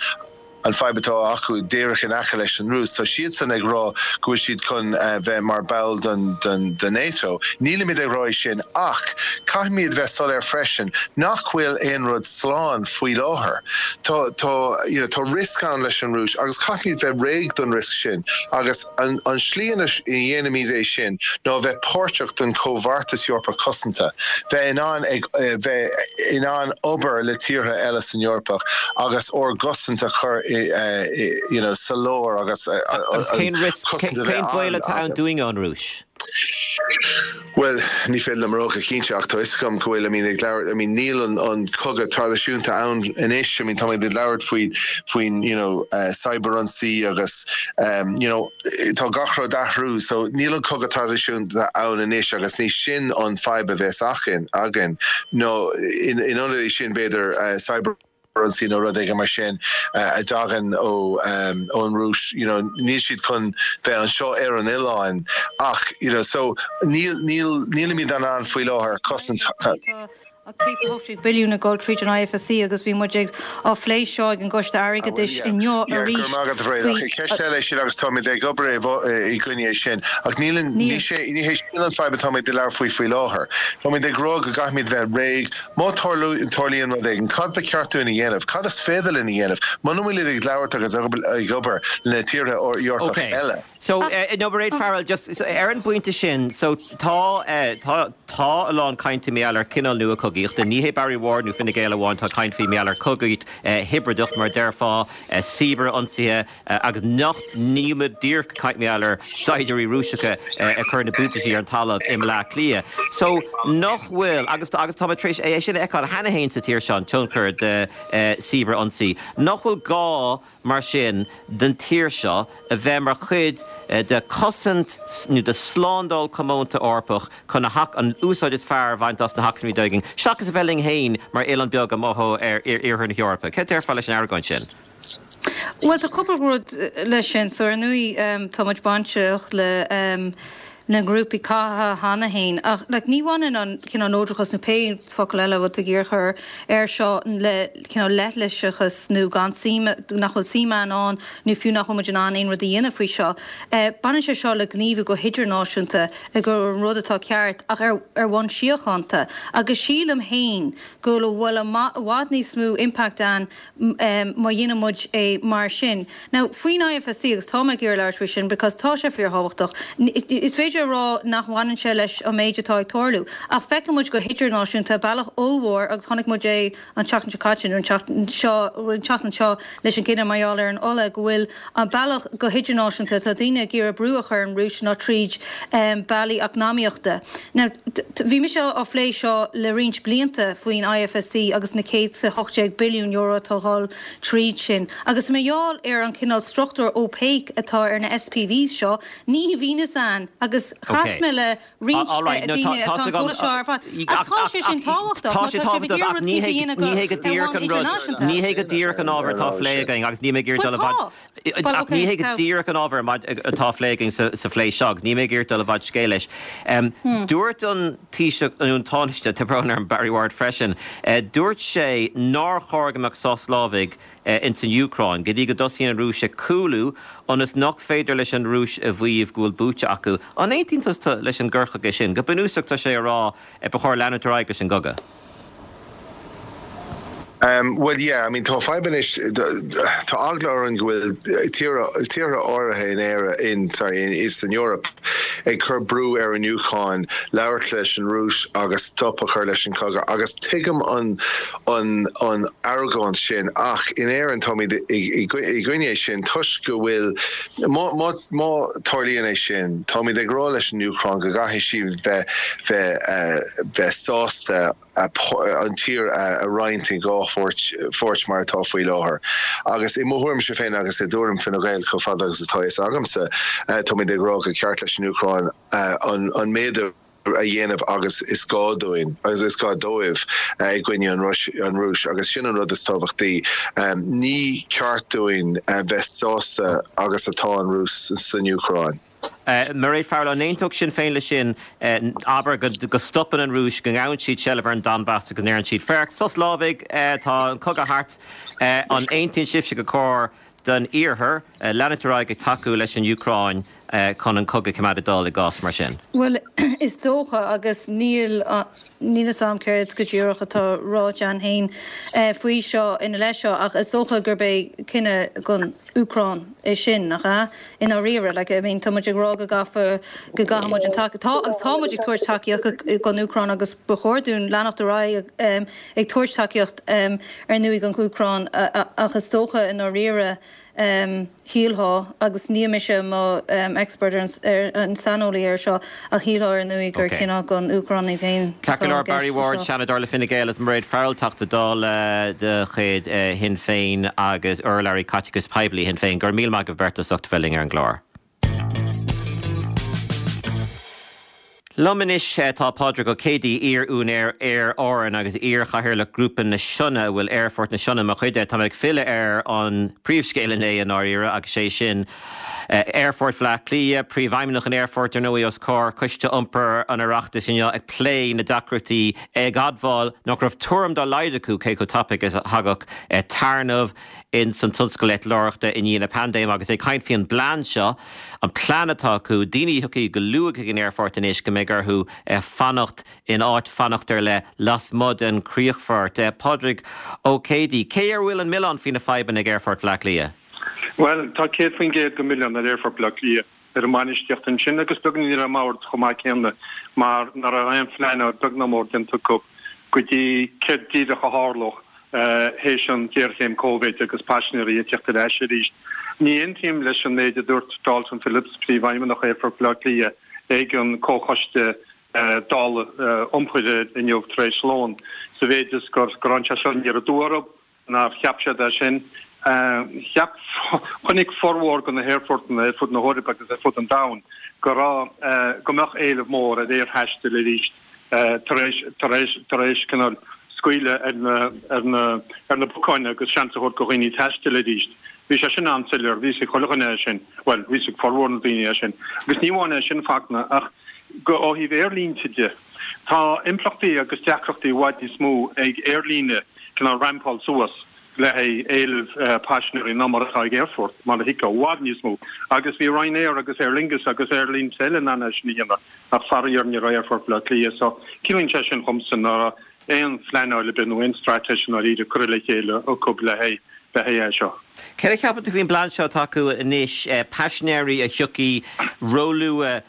an fadhb atá acu díreach in aice leis an Rúis. Tá siadsan ag rá go bhfuil siad chun bheith mar ball den den NATO. Nílimid ag rá é sin ach caithfimid bheith soiléir freisin nach bhfuil aon rud slán faoi láthair. Tá tá you know tá riosca ann leis an Rúis agus caithfimid bheith réidh don riosca sin agus an an slí ina dhéanaimid é sin ná bheith páirteach den Chomhbheartas Eorpach Cosanta, bheith in ann ag bheith in ann obair le tíortha eile san Eorpach agus ár gcosaint a chur you know sa lár agus Agus cén cosaint a bheith cén baol atá ann dúinn ón Rúis? Bhuel, ní féidir liom a rá go cinnte ach tá fhios agam go bhfuil, I mean, ag labhairt, I mean, níl an, an cogadh traidisiúnta ann anois, I mean, táimid ag labhairt faoi, faoin, you know, uh, cyberionsaí agus, um, you know, tá gach rud athrú, so níl an cogadh traidisiúnta ann anois agus ní sin an fadhb a bheas againn, againn, nó in, in ionad é sin b'fhéidir uh, cyber ionsaí nó rud éigin mar sin a dtagann ó ón Rúis, you know, níl siad chun bheith anseo ar an oileán ach, you know, so níl, níl, nílimid in ann faoi láthair cosaint. Tá céad a hocht déag billiún ag dul tríd an I F S C agus bhí muid ag á phlé seo ag an gCoiste Airgeadais inniu arís faoi. Ceist eile é sin agus táimid ag obair i gcoinne é sin ach níl ní sé ní hé sin an fadhb atáimid ag labhairt faoi faoi láthair. Táimid ag rá go gcaithfimid bheith réidh má tarlaíonn rud éigin, cad ba cheart dúinn a dhéanamh, cad is féidir linn a dhéanamh, muna bhfuil ag labhairt agus ag obair le tíortha Eorpach eile. So uh, no Mairéad Farrell just so, ar an bpointe sin so tá uh, tá tá a lán cainte mar gheall ar cineál nua cogaíochta ní hé Barry Ward nó Fine Gael amháin tá caint faoi mar gheall ar cogaíocht uh, hibrideach mar déarfá uh, cibear-ionsaithe uh, agus nach níme dír caint mar gheall ar saighdiúirí Rúiseacha uh, ag cur na buataisí ar an talamh i mBleá Cliath. So nach bhfuil agus agus tá tréis é sin a fheiceáil cheana féin sa tír seo tionchar de uh, cibear-ionsaí. Nach bhfuil gá mar sin den tír seo a bheith mar chuid uh, de cosaint nó de slándáil comónta Eorpach chun a hach an úsáid is fearr a bhaint as na hacmhainní againn. Seachas a bheith linn féin mar oileán beag amuigh ar iarthar na hEorpa. Cé déarfá leis an argóint sin? Well tá cúpla rud leis sin so ar ndóigh um, tá muid bainteach le um, na grúpaí catha cheana féin ach like, ní bhaineann an cineál neodrachas nó pé focal eile bhfuil ag iarchur air seo le cineál leithliseachas nó gan suim nach bhfuil suim ann nó fiú nach bhfuil muid in ann aon rud a dhéanamh faoi seo. Eh, baineann sé seo le gníomhú go hidirnáisiúnta ag gur an rud atá ceart ach ar ar bhonn síochánta agus sílim féin go bhfuil i bhfad níos mó impact ann um, má dhéanann muid é mar sin. Now faoin IFSC agus tá mé ag iarraidh labhairt faoi sin because tá sé fíorthábhachtach. Is féidir a rá nach bhaineann sé leis an méid atá ag tarlú. Ach feiceann muid go hidirnáisiúnta bealach ollmhór agus chonaic muid é an tseachtain seo caite an tseachtain seo an tseachtain seo leis an gcinneadh mar gheall ar an ola go bhfuil an bealach go hidirnáisiúnta tá daoine ag iarraidh brú a chur ar an Rúis ná tríd um, bealaí eacnamaíochta. Now, bhí mise á phlé seo le roinnt blianta faoin IFSC agus na céad is a hocht déag billiún euro atá ag dul tríd sin. Agus mar gheall ar an cineál struchtúr opaque atá ar na SPVs seo, ní bhíonn ann agus chas mé le roinnt daoine atá tá sé sin tábhachtach Tá sé tábhachtach ní hé go díreach an rud ní hé go díreach an ábhar atá á phlé againn agus ní mé ag dul ach ní hé go díreach an ábhar atá á phlé againn sa phlé seo ní mé ag dul i bhfad scéil leis. Dúirt an Taoiseach an Tánaiste tá brón orm Barry Ward freisin, dúirt sé nár chóir go mbeadh sos lámhaigh ins an Úcráin, go dtí go dtosaíonn an Rúis ag cúlú ionas nach féidir leis an Rúis a mhaíomh go bhfuil buaite acu. An aontaíonn tusa leis an gcur chuige sin, go bunúsach tá sé a rá ba chóir leanúint ar aghaidh leis an gcogadh. Um, well yeah, I mean tá fadhb anois tá eagla orainn go bhfuil tíortha áirithe in Éire in sorry in Eastern Europe ag cur brú ar an Úcráin labhairt leis an Rúis agus stop a chur leis an cogadh agus tuigim an an an argóint sin ach in Éirinn táimid i gcoinne sin toisc go bhfuil má má má tarlaíonn é sin táimid ag rá leis an Úcráin go gcaithfidh siad bheith bheith uh, bheith sásta an tír a roinnt in dhá pháirt mar atá faoi láthair. Agus i mo thuairimse féin agus i dtuairim Fine Gael chomh fada agus atá fhios agamsa táimid ag rá gur ceart leis an Úcráin an méid a dhéanamh agus is gá dúinn agus is gá dóibh i gcoinne an Rúis agus sin an rud is tábhachtaí. Ní ceart dúinn bheith sásta agus atá an Rúis san Úcráin. Mairéad Farrell an aontódh Sinn Féin leis sin abair go stopann an Rúis go ngabhann siad seilbh ar an Donbass go ndeireann siad féach sos lámhaigh tá an cogadh thart an aontaíonn sibhse gur chóir don iarthar leanúint ar aghaidh ag tacú leis an Úcráin chun an cogadh a choimeád ag dul i gcás mar sin. Well is dócha agus níl níl a fhios agam céard go díreach atá ráite againn féin faoi seo ina leith seo ach is dócha gurb é cinneadh don Úcráin é sin nach ea i ndáiríre like I mean tá muid ag rá go gcaithfear go gcaithfidh muid an tac tá agus tá muid ag tabhairt tacaíocht don Úcráin agus ba chóir dúinn leanacht ar aghaidh ag tabhairt tacaíocht ar ndóigh don Úcráin ach is dócha i ndáiríre shílfeá agus níl mise mo expert ar an saineolaí ar seo ach shílfeá ar ndóigh gur cinneadh don Úcráin iad féin Ceart go leor Barry Ward, Seanadóir le Fine Gael is Mairéad Farrell, Teachta Dála de chuid Shinn Féin agus urlabhraí caiteachais poiblí Shinn Féin. Go raibh míle maith agaibh beirt as ucht a bheith linn ar an gclár. Liom anois tá Pádraig Ó Céidigh, iar-úinéir Aer Árann agus iar-chathaoirleach Ghrúpa na Sionna, a bhfuil Aerfort na Sionna mar chuid de. Tá mé ag filleadh ar an príomhscéal inné i ndáiríre agus sé sin Aerfort Bhaile Átha Cliath, Príomhfheidhmeannach an aerfoirt ar ndóigh os comhair Coiste Iompair an Oireachtais inniu ag plé na deacrachtaí ag admháil nach raibh tuairim dá laghad acu cé chomh tapaidh is a thagadh téarnamh in san tionscal eitleoireachta i ndiaidh na paindéime agus ag caint faoi an bplean seo, an plean atá acu, daoine a thiocfaidh go luath chuig an aerfort anois go mbeidh orthu fanacht in áit fanacht ar leith lasmuigh den chríochfort. Pádraig Ó Céidigh, cé ar a bhfuil an milleán faoi na fadhbanna ag Aerfort Bhaile Átha Cliath? Bhuel, tá céad faoin gcéad den mhilleán ar Aerfort Bhaile Átha Cliath. ar an mbainistíocht ansin agus beagáinín ar an mbord chomh maith céanna mar nach raibh aon phleanáil beag ná mór déanta acu go dtí céard díreach a tharlódh théis an ghéarchéim Covid agus paisinéirí ag teacht ar ais arís. Ní aontaím leis an méid a dúirt Dalton Phillips, Príomhfheidhmeannach Aerfort Bhaile Átha Cliath, ag an Comhchoiste Dála Iompair inniu tar éis lóin, sa mhéid is gur gur tháinig sé seo aniar aduaidh orthu, nár cheap siad é sin. Cheap, chonaic formhór de na haerfortanna ar fud na hEorpa agus ar fud an domhain go raibh, go mbeadh éileamh mór ar aerthaisteal arís tar éis, tar éis, tar éis cineál scaoileadh ar na, ar na, ar na bacáin agus seans a thabhairt do dhaoine taisteal arís. Bhí sé sin an-soiléir, bhí a fhios ag chuile dhuine é sin, bhuel, bhí a fhios ag formhór na daoine é sin. Agus ní amháin é sin Fachtna, ach go, ó thaobh aerlínte de, tá impleachtaí agus deacrachtaí i bhfad níos mó ag aerlíne cineál rampáil suas le haghaidh éileamh paisinéirí ná mar atá ag aerfort, mar a thuigfeá, i bhfad níos mó. Agus bhí Ryanair agus Aer Lingus agus aerlínte eile in ann é sin a dhéanamh, ach faraor ní raibh Aerfort Bhaile Átha Cliath. So, ciallaíonn sé sin dhomsa nach raibh aon phleanáil ar bith nó aon straitéis i ndáiríre curtha le chéile acu le haghaidh le haghaidh é seo. Céard a cheapann tú faoin bplean seo atá acu anois, paisinéirí a thiocfaidh róluath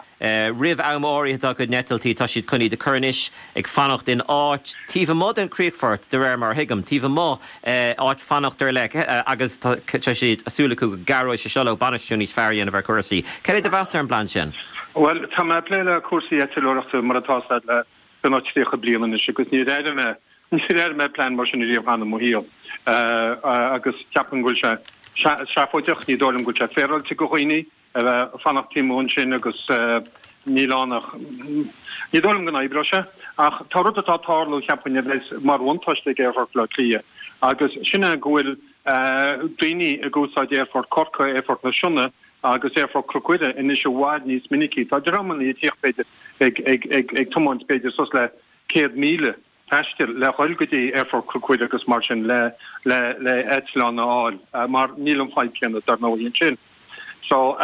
roimh am áirithe dá gcuid n-eitiltí, tá siad chun iad a chur anois ag fanacht in áit taobh amuigh den chríochfort, de réir mar a thuigim, taobh amuigh, áit fanacht ar leith, agus tá siad súil acu go gcabhróidh sé seo leo bainistiú níos fearr a dhéanamh ar chúrsaí. Céard é do mheas ar an bplean sin? Bhuel, tá mé ag plé le cúrsaí eitleoireachta mar atá le beagnach tríocha bliain anois agus níor airigh mé, níor airigh mé plean mar sin ariamh cheana i mo shaol. Agus ceapaim go bhfuil sé seafóideach, ní dóigh liom go bhfuil sé féaráilte do dhaoine a bheith ag fanacht taobh amuigh ansin agus níl ann ach, ní dóigh liom go n-oibreoidh sé. Ach tá rud atá ag tarlú, cheapfainn, a bheas mar bhuntáiste ag Aerfort Bhaile Átha Cliath agus sin é go bhfuil daoine ag úsáid Aerfort Chorcaí, Aerfort na Sionna agus Aerfort Chnoc Mhuire anois i bhfad níos minicí. Tá dreamanna ag tíocht b'fhéidir ag ag ag ag tiomáint b'fhéidir suas le céad míle taistil le dhul go dtí Aerfort Chnoc Mhuire agus mar sin le le le eitleán a fháil mar níl an fadhb céanna dar ndóigh ansin. So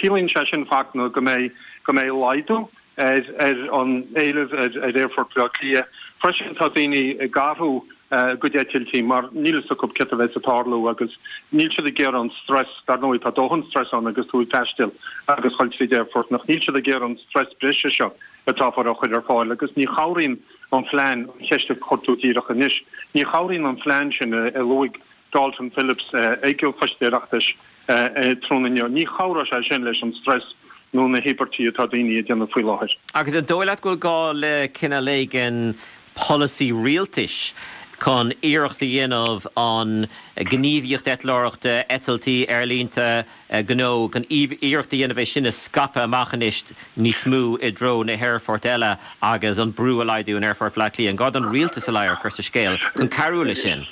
ciallaíonn sé sin Fachtna go mbeidh go mbeidh laghdú ar ar an éileamh ar ar Aerfort Bhaile Átha Cliath. Freisin tá daoine ag athrú a gcuid eitiltí mar níl fhios acu céard a bheas ag tarlú agus níl siad ag iarraidh an stress, dar ndóigh tá dóthain stress ann agus tú ag taisteal agus dhul tríd aerfort, ach níl siad ag iarraidh an stress breise seo atáthar a chur ar fáil agus ní chabhraíonn an phlean, an cheist a chuir tú díreach anois, ní chabhraíonn an phlean sin a luaigh Dalton Phillips ag an Choiste Oireachtais tráthnóna inniu, ní chabhróidh sé sin leis an stress nó na híobairtí atá daoine a déanamh faoi láthair. Agus an dóigh leat go bhfuil gá le cineál éigin polasaí rialtais chun iarracht a dhéanamh an ghníomhaíocht eitleoireachta, eitiltí, aerlínte, gnó, chun iarracht a dhéanamh é sin a scaipeadh amach anois níos mó i dtreo na haerfoirt eile agus an brú a laghdú in Aerfort Bhaile Átha Cliath? An gá don rialtas a lámh a chur sa scéal chun cabhrú leis sin?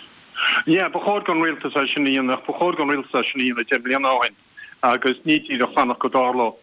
Yeah, ba chóir don rialtas é sin a dhéanamh, ba chóir don rialtas é sin a dhéanamh deich mbliana ó shin agus ní díreach fanacht go dtarlódh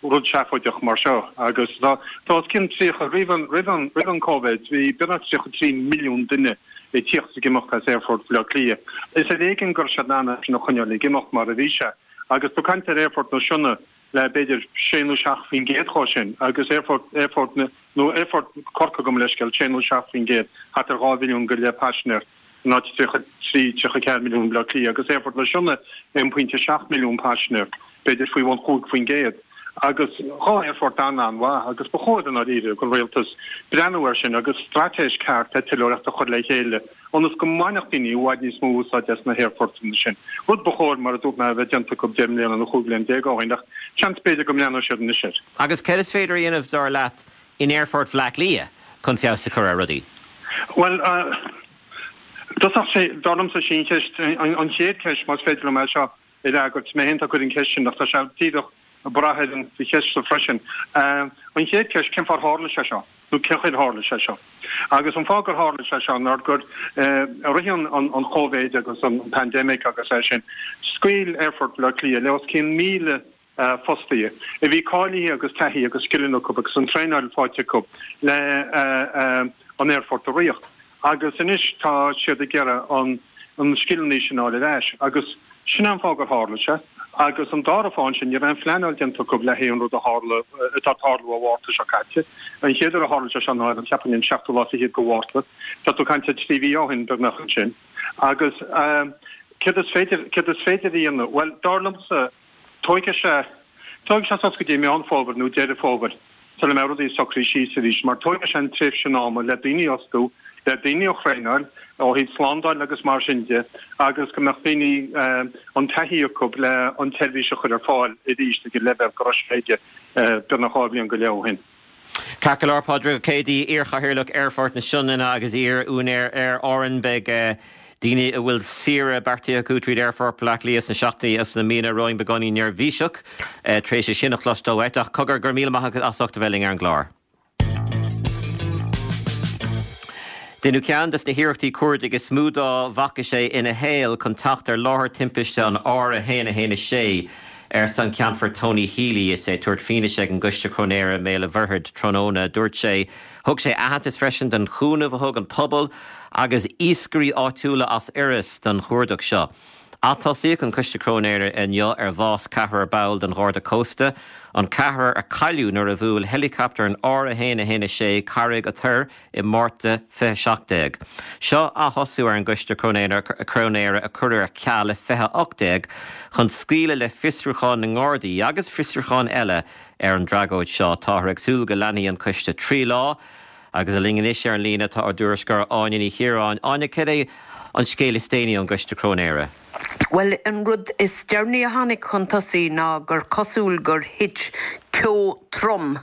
rud seafóideach mar seo. Agus tá os cionn tríocha, roimh an, roimh an, roimh an Covid, bhí beagnach tríocha trí milliún duine ag tíocht is ag imeacht as Aerfort Bhaile Átha Cliath. Is ar éigean go raibh siad in ann é sin a choinneáil ag imeacht mar a bhí sé. Agus tá caint ar Aerfort na Sionna le b'fhéidir sé nó seacht faoin gcéad dhó sin agus Aerfort, Aerfort na, nó Aerfort Chorcaí gabh mo leithscéal, sé nó seacht faoin gcéad, thart ar dhá mhilliún go leith paisinéir. in áit tríocha trí, tríocha ceathair milliún i mBaile Átha Cliath agus Aerfort na Sionna aon pointe seacht milliún paisinéir, b'fhéidir faoi bhun chúig faoin gcéad. Agus dhá aerfort an-an-mhaith agus ba chóir i ndáiríre don rialtas breathnú air sin agus straitéis ceart eitleoireachta a chur le chéile ionas go mbainfeadh daoine i bhfad níos mó úsáid as na haerfortanna sin. Rud ba chóir, mar a dúirt mé, a bheith déanta acu deich mbliana nó chúig bhliain déag ó shin ach seans b'fhéidir go mbreathnóidh siad anois air. Agus céard is féidir a dhéanamh, dar leat, in Aerfort Bhaile Átha Cliath chun feabhas a chur ar rudaí? Bhuel, dosach sé, dar liomsa, sí an cheist, an chéad cheist, más féidir liom é seo a fhreagairt, mé féin atá ag cur an cheist sin ach tá sé díreach ag brath ar an cheist seo freisin. An chéad cheist, cén fáth ar tharla sé seo? Nó cén chaoi ar tharla sé seo? Agus an fáth gur tharla sé seo ná gur i rith an Chóivid agus an pandemic agus é sin, scaoil Aerfort Bhaile Átha Cliath le os cionn míle fostaithe a bhí cáilithe agus taithí agus scileanna acu agus an traenáil faighte acu le an aerfort a riar. Agus anois tá siad ag iarraidh an an scileanna sin a fháil ar ais. Agus sin an fáth gur tharla sé. Agus an dara fáth ansin, ní raibh aon phleanáil déanta acu le haghaidh an rud a tharla, atá ag tarlú ó Mhárta seo caite. An chéad uair a tharla sé seo ná ar an, cheapfainn, an seachtú lá fichead de Mhárta. Tá tú ag caint ar trí mhí ó shin beagnach ansin. Agus céard is féidir, céard is féidir a dhéanamh? Bhuel, dar liomsa, Tógfaidh sé Tógfaidh sé suas go dtí Meán Fómhair nó Deireadh Fómhair sula mbeidh rudaí socraithe síos arís, mar tógfaidh sé an tréimhse sin ama le daoine a fhostú, le daoine a thraenáil ó thaobh slándáil agus mar sin de, agus go mbeadh daoine an taithí acu le an tseirbhís a chur ar fáil arís ag an leibhéal go raibh sé aige beagnach dhá bhliain go leith ó shin. Ceart go leor, Pádraig Ó Céidigh, iar-chathaoirleach Aerfort na Sionainne agus iar-úinéir Aer Árann. Beidh daoine a bhfuil saoire beartaithe acu tríd Aerfort Bhaile Átha Cliath sna seachtainí agus sna míonna romhainn beagáinín neirbhíseach tar éis é sin a chloisteáil uait. Ach cogar, go raibh míle maith agat as ucht a bheith linn ar an gclár. Deineadh ceann de na hiarrachtaí cuardaigh is mó dá bhfaca sé ina shaol chun teacht ar láthair timpiste an R a haon a haon a sé, arsa an Ceannfort Tony Healy is é ag tabhairt fianaise ag an gCoiste Cróinéara i mBéal an Mhuirthead tráthnóna. Dúirt sé, Thug sé aitheantas freisin don chúnamh a thug an pobal agus iascairí áitiúla as Iorras don chuardach seo. Atosaíodh an Coiste Cróinéara inniu ar bhás ceathrar ball den Gharda Cósta, an ceathrar a cailleadh nuair a bhuail heileacaptar an R a haon a haon a sé Carraig an Toir i Márta fiche seacht déag. Seo athosú ar an gCoiste Cróinéara a cuireadh ar ceal i fiche ocht déag chun scaoileadh le fiosrúchán na nGardaí agus fiosrúcháin eile ar an dtragóid seo. Táthar ag súil go leanfaidh an coiste trí lá. Agus linn anois ar an líne tá ár dtuairisceoir Áine Ní Chiaráin. Áine, cad é an scéal is déanaí ón gCoiste Cróinéara? Bhuel, an rud is deireanaí a tháinig chun tosaigh ná gur cosúil gur thit ceo trom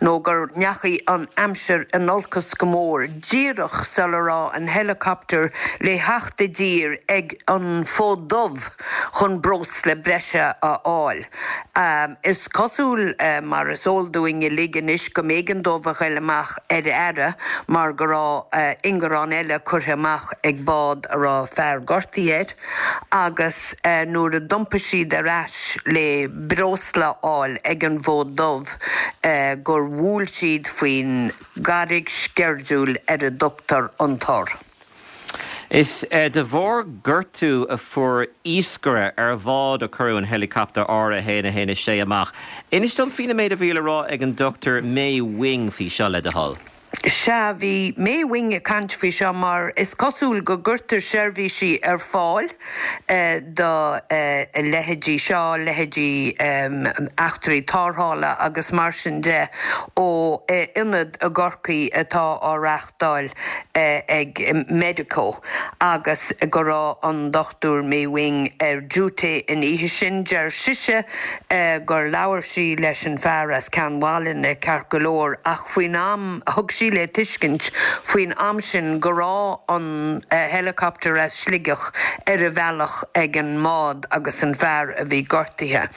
nó gur ndeachaigh an aimsir in olcas go mór díreach sula raibh an helicopter le theacht i dtír ag an Fód Dubh chun breosla breise a fháil. Is cosúil, mar is eol dúinn uilig anois, go mb'éigean dóibh a ghoil amach ar aire mar go raibh ingearán eile curtha amach ag bád a raibh fear gortaithe air agus nuair a d'iompaigh siad ar ais le breosla a fháil ag an bhFód Dubh gur bhuail siad faoin gcarraig sceirdiúil ar a dtugtar an Tor. Is de bharr gortú a fuair iascaire ar bhád a cuireadh an heileacaptar R a haon a haon a sé amach. Inis dom faoin méid a bhí le rá ag an Dochtúir May Wing faoi seo, le do thoil. Sea, bhí May Wing ag caint faoi seo mar is cosúil go gcuirtear seirbhísí ar fáil do leithéidí seo, leithéidí eachtraí tarrthála agus mar sin de, ó ionad i gCorcaigh atá á reáchtáil ag Medico agus go raibh an Dochtúir May Wing ar duty an oíche sin. Deir sise gur labhair sí leis an fear as Ceann Mhálanna ceart go leor ach faoin am, thug sí le tuiscint faoin am sin go raibh an helicopter as Sligeach ar a bhealach ag an mbád agus an fear a bhí gortaithe.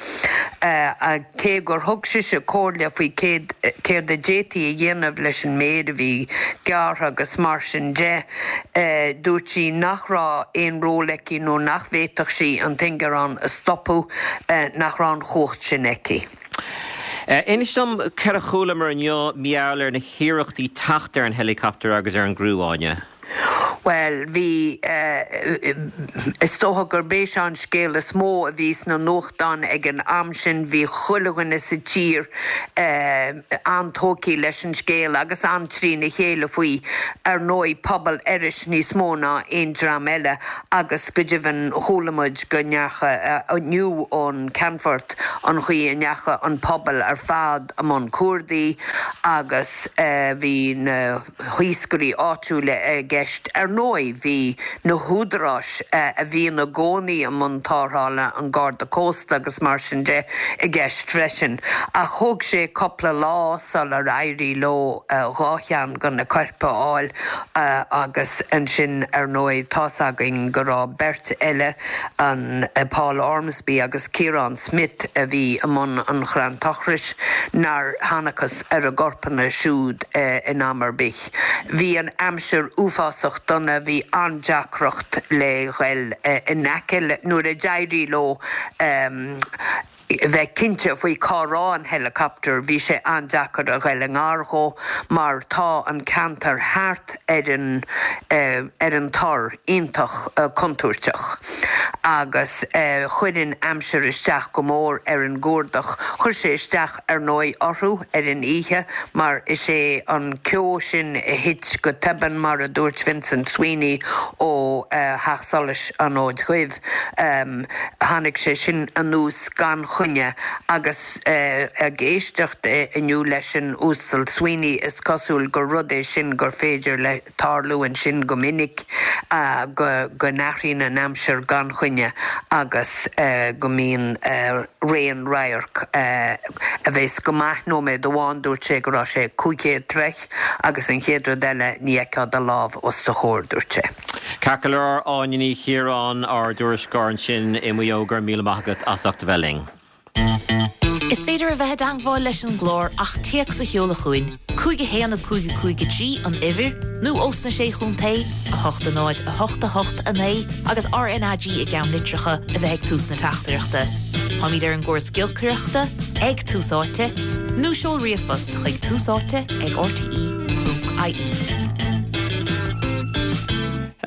Cé gur thug sise comhairle faoi céard a d'fhéadfaí a dhéanamh leis an méar a bhí gearrtha agus mar sin de, dúirt sí nach raibh aon ról aici nó nach bhféadfadh sí an t-ingearán a stopadh, nach raibh an chumhacht sin aici. Inis dom céard a chualamar inniu mar gheall ar na hiarrachtaí teacht ar an heileacaptar agus ar an gcriú, Áine. Bhuel, bhí, is dócha gurb é seo an scéal is mó a bhí sna nuachtáin ag an am sin. Bhí chuile dhuine sa tír an-tógtha leis an scéal agus an-trína chéile faoi. Ar ndóigh, pobal Iorrais níos mó ná aon dream eile agus go deimhin chuala muid go ndeacha, inniu ón Ceannfort, an chaoi a ndeacha an pobal ar fad i mbun cuardaigh agus bhí na hiascairí áitiúla i gceist. Ar ndóigh, bhí na húdaráis a bhíonn i gcónaí i mbun tarrthála, an Garda Cósta agus mar sin de, i gceist freisin. Ach thóg sé cupla lá sular éirigh leo dhá cheann de na coirp a fháil agus ansin, ar ndóigh, tá's againn go raibh beirt eile, an Paul Ormsby agus Ciarán Smith, a bhí i mbun an chrann tochrais, nár thángthas ar a gcorpanna siúd in am ar bith. Bhí an aimsir uafásach dona, bhí an-deacracht le ghoil in aice le, nuair a d'éirigh leo bheith cinnte faoi cá raibh an helicopter, bhí sé an-deacair a ghoil i ngar dhó mar tá an ceantar thart ar an ar an tor iontach contúirteach agus chuir an aimsir isteach go mór ar an gcuardach. Chuir sé isteach ar ndóigh orthu ar an oíche mar is é an ceo sin a thit go tobann mar a dúirt Vincent Sweeney ó Theach Solais an Fhóid Dhuibh, tháinig sé sin anuas gan choinne. choinne agus ag éisteacht inniu leis an Uasal Sweeney is cosúil gur rud é sin gur féidir le tarlú ansin go minic go go n-athraíonn an aimsir gan choinne agus go mbíonn raon radharc a bheas go maith nóiméad amháin dúirt sé go raibh sé cúig chéad troigh agus an chéad rud eile ní fheicfeá do lámh os do chomhair, dúirt sé. Ceart go leor, Áine Ní Chiaráin, ár dtuairisceoir ansin i Maigh Eo, go raibh míle maith agat as ucht a bheith linn. Is féidir a bheith i dteagmháil leis an gclár ach téacs a sheoladh chugainn, cúig a haon a cúig a cúig a trí an uimhir, nó ós na Sé Chontae, a hocht a náid a hocht a hocht a naoi agus RnaG i gceannlitreacha a bheith ag tús na teachtaireachta. Táimid ar an gcóras giolcaireachta ag Tús Áite, nó seol ríomhphost chuig túsáite ag rte ponc ie.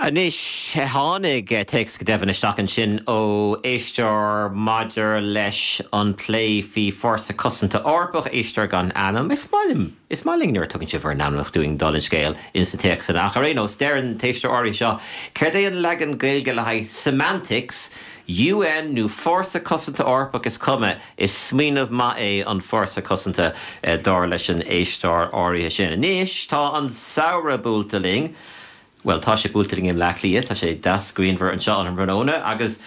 Anois, tháinig téacs go deimhin isteach ansin ó éisteoir maidir leis an plé faoi Fórsa Cosanta Eorpach, éisteoir gan ainm. Is maith liom, is maith linn nuair a tugann sibh bhur n-ainmneacha dúinn dála an scéil ins na téacsanna. Ach ar aon nós, deir an t-éisteoir áirithe seo, céard é an leagan Gaeilge le haghaidh semantics, UN nó Fórsa Cosanta Eorpach is cuma, is smaoineamh maith é an Fórsa Cosanta dar leis an éisteoir áirithe sin. Anois, tá an samhradh buailte linn. Bhuel, tá sé buailte linn i mBleá Cliath, tá sé deas grianmhar anseo an tráthnóna agus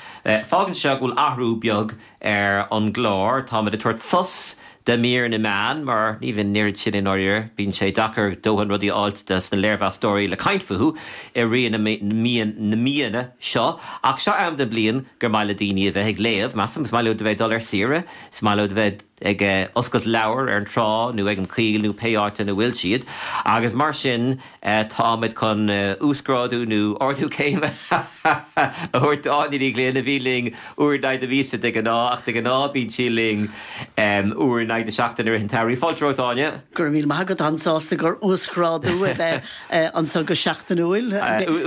fágann seo go bhfuil athrú beag ar an gclár. Táimid ag tabhairt sos de mír na meán mar ní bhíonn an oiread sin i ndáiríre, bíonn sé deacair dóthain rudaí a fháilt des na léirmheastóirí le caint fúthu i rith na míonna seo. Ach seo am den bhliain gur maith le daoine a bheith ag léamh, measaim. Is maith leo a bheith ag dul ar saoire, is maith leo a bheith ag oscailt leabhar ar an trá nó ag an choill nó pé áit ina bhfuil siad agus mar sin táimid chun uasghrádú nó ardú céime a thabhairt d'Áine Ní Ghlinn a bhí linn uair in aghaidh na míosa de ghnáth ach de ghnáth bíonn sí linn uair in aghaidh na seachtaine i rith an tsamhraidh. Fáilte romhat Áine. Go raibh míle maith agat, an-sásta gur uasghrádú a bheith anseo go seachtainiúil.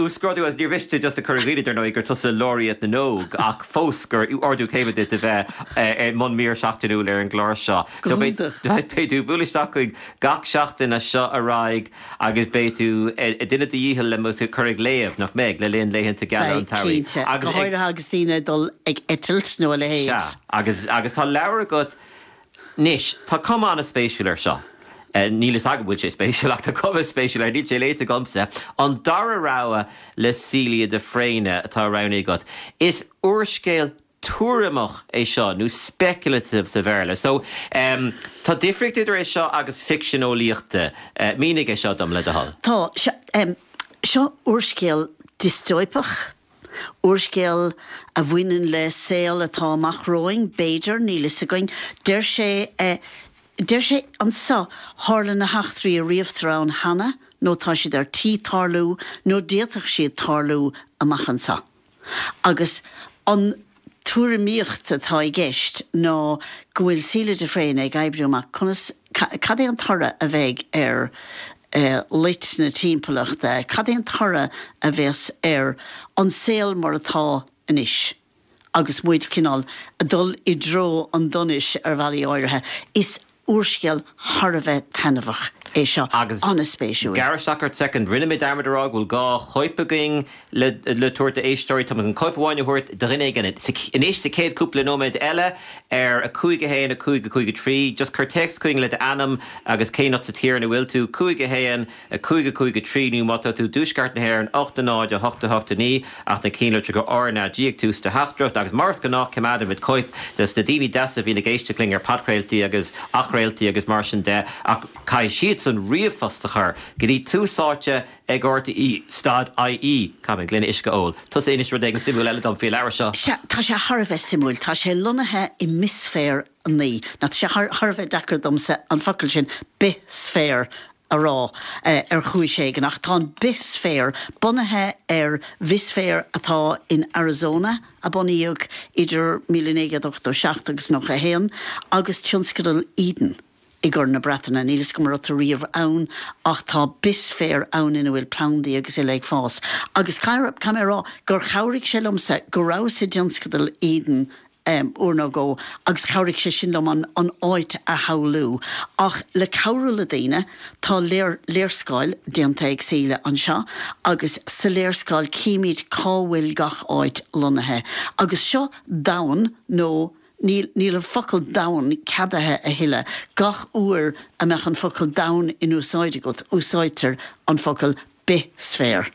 Uasghrádú as níor mhiste just a chur i gcuimhne dar ndóigh gur tusa Laureate na nÓg ach fós gur ardú céime duit a bheith i mbun mír seachtainiúil ar an gclár seo. Go hiontach. Beidh tú ag bualadh isteach chuig gach seachtain as seo ar aghaidh agus beidh tú ag déanamh do dhícheall le muid a chur ag léamh, nach mbeidh, le linn laethanta geala an Beidh, tsamhraidh. cinnte. Agus Go ag. háirithe agus daoine ag dul ag eitilt nó a leithéid. Sea, agus, agus tá leabhar agat anois, tá cuma an-spéisiúil air seo. Níl fhios agam an bhfuil sé spéisiúil ach tá cuma spéisiúil air, níl sé léite agamsa. An Dara Rogha le Celia de Fréine atá roghnaithe agat. Is úrscéal tuairimeach é seo, nó speculative sa Bhéarla. So, em, tá difríocht idir é seo agus ficsean eolaíochta. Mínigh é seo dom, le do thoil. Tá. Seo, em, seo úrscéal diostóipeach, úrscéal a bhaineann le saol atá amach romhainn, b'fhéidir, níl fhios againn. Deir sé, eh, deir sé anso, tharla na heachtraí a ríomhtar ann cheana, nó tá siad ar tí tarlú, nó d'fhéadfadh siad tarlú amach anso. Agus an tuairimíocht atá i gceist ná go bhfuil Síle de Fréine ag oibriú amach conas, cad é an toradh a bheidh ar loit na timpeallachta, cad é an toradh a bheas ar an saol mar atá anois agus muid cineál ag dul i dtreo an donais ar bhealaí áirithe. Is úrscéal thar a bheith taitneamhach é seo, Agus an-spéisiúil. gearr isteach ort soicind, rinne mé dearmad a rá go bhfuil dhá chóip againn le le tabhairt d'éisteoirí. Tá muid chun cóip amháin a thabhairt do dhuine éigin anois sa chéad cúpla nóiméad eile ar a cúig a haon, a cúig, a cúig a trí. Just cuir téacs chugainn le d'ainm agus cén áit sa tír ina bhfuil tú, cúig a haon, a cúig, a cúig a trí nó má tá tú i dtuaisceart na hÉireann, ocht a náid, a hocht, a hocht a naoi ach na cinnlitreacha RnaG ag tús do theachtaireacht agus mar is gnách coimeádaimid cóip dos na daoine deasa a bhíonn ag éisteacht linn ar podchraoltaí agus athchraoltaí agus mar sin de ach caithfidh siadsan ríomhphost a chur go dtí tús áite ag RTE stad IE. Caithfidh mé gloine uisce a ól. Tusa inis rud éigin suimiúil eile dom faoi an leabhar seo. Sea, tá sé thar a bheith suimiúil. Tá sé lonnaithe i mbithsféar a naoi. Now tá sé thar a bheith deacair domsa an focal sin, bithsféar, a rá ar chúis éigin, ach tá an bithsféar bunaithe ar bhithsféar atá in Arizona a bunaíodh idir míle naoi gcéad ochtó seacht agus nócha a haon agus tionscadal Eden i gCorn na Breataine. Níl fhios agam an raibh tú riamh ann ach tá bithsféar ann ina bhfuil plandaí agus uile ag fás. Agus caithfidh mé a rá gur chabhraigh sé liomsa go rabhas i dtionscadal Eden uair nó dhó agus chabhraigh sé sin liom an an áit a shamhlú. Ach le cabhrú le daoine, tá léir léarscáil déanta ag Síle anseo agus sa léarscáil címid cá bhfuil gach áit lonnaithe. Agus seo domhan nó Níl, níl an focal domhan ceadaithe a thuilleadh. Gach uair a mbeadh an focal domhan in úsáid agat, úsáidtear an focal bithsféar.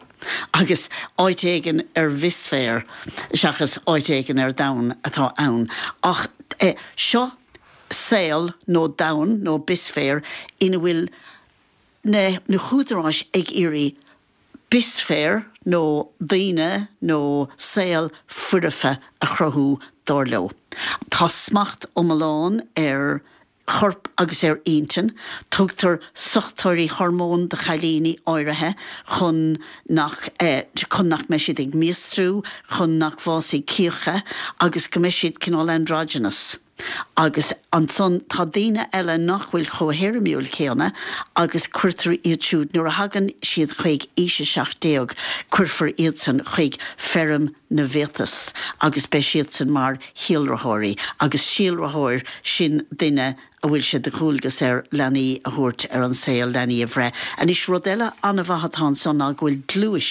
Agus áit éigin ar bhithsféar seachas áit éigin ar domhan atá ann. Ach eh, seo saol nó domhan nó bithsféar ina bhfuil na, na húdaráis ag iarraidh bithsféar nó daoine nó saol foirfe a chruthú dar leo. Tá smacht iomlán ar chorp agus ar intinn, tugtar sochtóirí hormón do chailíní áirithe chun nach eh, chun nach mbeidh siad ag míostrú, chun nach bhfásfaidh cíocha agus go mbeidh siad cineál androgynous. Agus ansan tá daoine eile nach bhfuil chomh héirimiúil céanna agus cuirtear iad siúd nuair a thagann siad chuig aois a seacht déag, cuirfear iadsan chuig feirm na bhfiatas agus beidh siadsan mar shíolraitheoirí agus síolraitheoir sin duine a bhfuil sé de dhualgas air leanaí a thabhairt ar an saol, leanaí a bhreith. Anois rud eile an-mhaith atá ansan ná go bhfuil gluais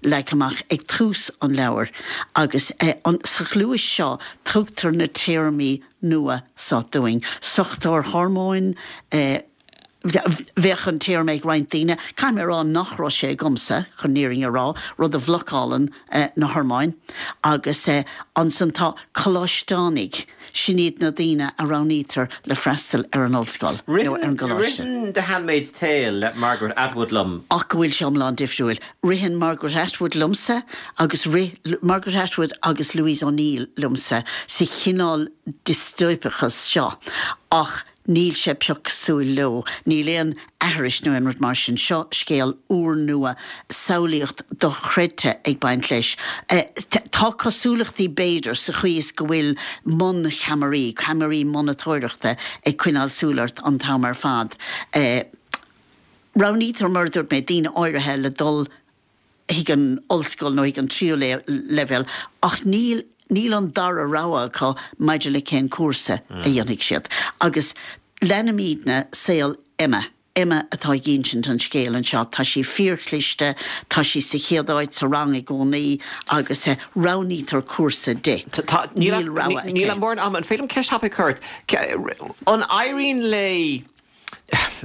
leagtha amach ag tús an leabhair agus eh, an, sa ghluais seo tugtar na téarmaí nua seo dúinn. Sochtóir hormóin, eh, bheadh an téarma ag roinnt daoine, caithfidh mé a rá nach raibh sé agamsa, chun an fhírinne a rá, rud a bhlocálann eh, na hormóin, agus eh, ansan tá coláisteánaigh, sin iad na daoine a roghnaítear le freastal ar an ollscoil nó ar an gcoláiste. Ritheann The Handmaid's Tale le Margaret Atwood liom. Ach go bhfuil sé iomlán difriúil. Ritheann Margaret Atwood liomsa agus rith Margaret Atwood agus Louise O'Neill liomsa sa chineál diostóipeachas seo. Ach níl sé pioc cosúil leo, níl aon aithris nó aon rud mar sin. Seo scéal úrnua, samhlaíocht dochreidte ag baint leis. Tá cosúlachtaí b'fhéidir sa chaoi is go bhfuil moncheamaraí, ceamaraí monatóireachta ag coinneáil súil ort an t-am ar fad. Roghnaítear, mar a dúirt mé, daoine áirithe le dul chuig an ollscoil nó chuig an tríú leibhéal ach níl níl an dara rogha acu maidir le cén cúrsa a dhéanfaidh siad. Agus leanaimidne saol Emma. Emma atá ag insint an scéil anseo. Tá sí fíorchliste, tá sí sa chéad áit sa rang i gcónaí agus roghnaítear cúrsa di. Níl rogha aici. Níl mórán ama. An féidir liom ceist thapaidh a chur ort? An éiríonn léi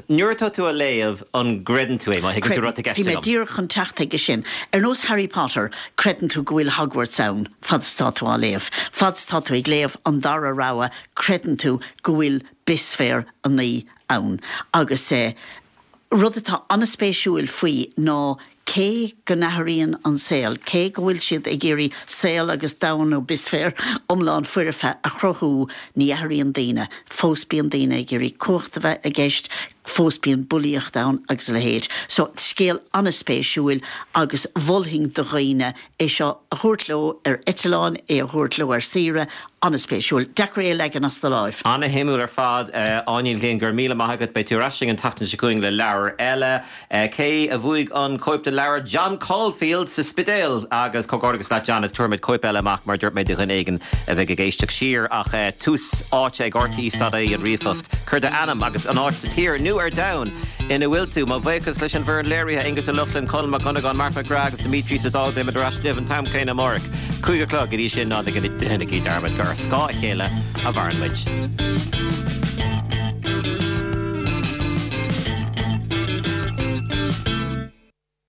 Nuair atá tú á léamh, an gcreideann tú é, má thuigeann tú rud i gceist Bhí mé díreach chun teacht aige sin. Ar nós Harry Potter, creideann tú go bhfuil Hogwarts ann fad is atá tú á léamh. Fad is atá tú ag léamh an dara rogha, creideann tú go bhfuil Bithsféar a naoi ann. Agus eh, rud atá an-spéisiúil faoi ná cé go n-athraíonn an saol, cé go bhfuil siad ag iarraidh saol agus domhan nó bithsféar iomlán foirfe a chruthú, ní athraíonn daoine. Fós bíonn daoine ag iarraidh cumhacht a bheith i gceist, fós bíonn bulaíocht ann agus a leithéid. So, scéal an-spéisiúil agus mholfainn do dhaoine é seo a thabhairt leo ar eitleán, é a thabhairt leo ar saoire, an-spéisiúil. Deacair é a leagan as do láimh. Ana-shuimiúil ar fad, Áine Ní Ghlinn, go raibh míle maith agat. Beidh tú ar ais linn an tseachtain seo chugainn le leabhar eile. Cé a bhuaigh an cóip de leabhar John Caulfield sa Spidéal? Agus comhghairdeachas leat John, is tabharfaimid cóip eile amach mar a dúirt mé do dhuine éigin a bheidh ag éisteacht siar. Ach tús áite ag rte dot ie an ríomhphost. Cuir d'ainm agus an áit sa tír nó ar domhan ina bhfuil tú. Mo bhuíochas leis an bhfoireann léirithe, Aengus Ó Lochlainn, Conall Mac Dhonnagáin, Mark McGrath agus Dimitri sa Dáil. Beimid ar ais libh an t-am céanna amárach, cúig a chlog. Go dtí sin, ná déanaigí dearmad gur ar scáth a chéile a mhaireann muid.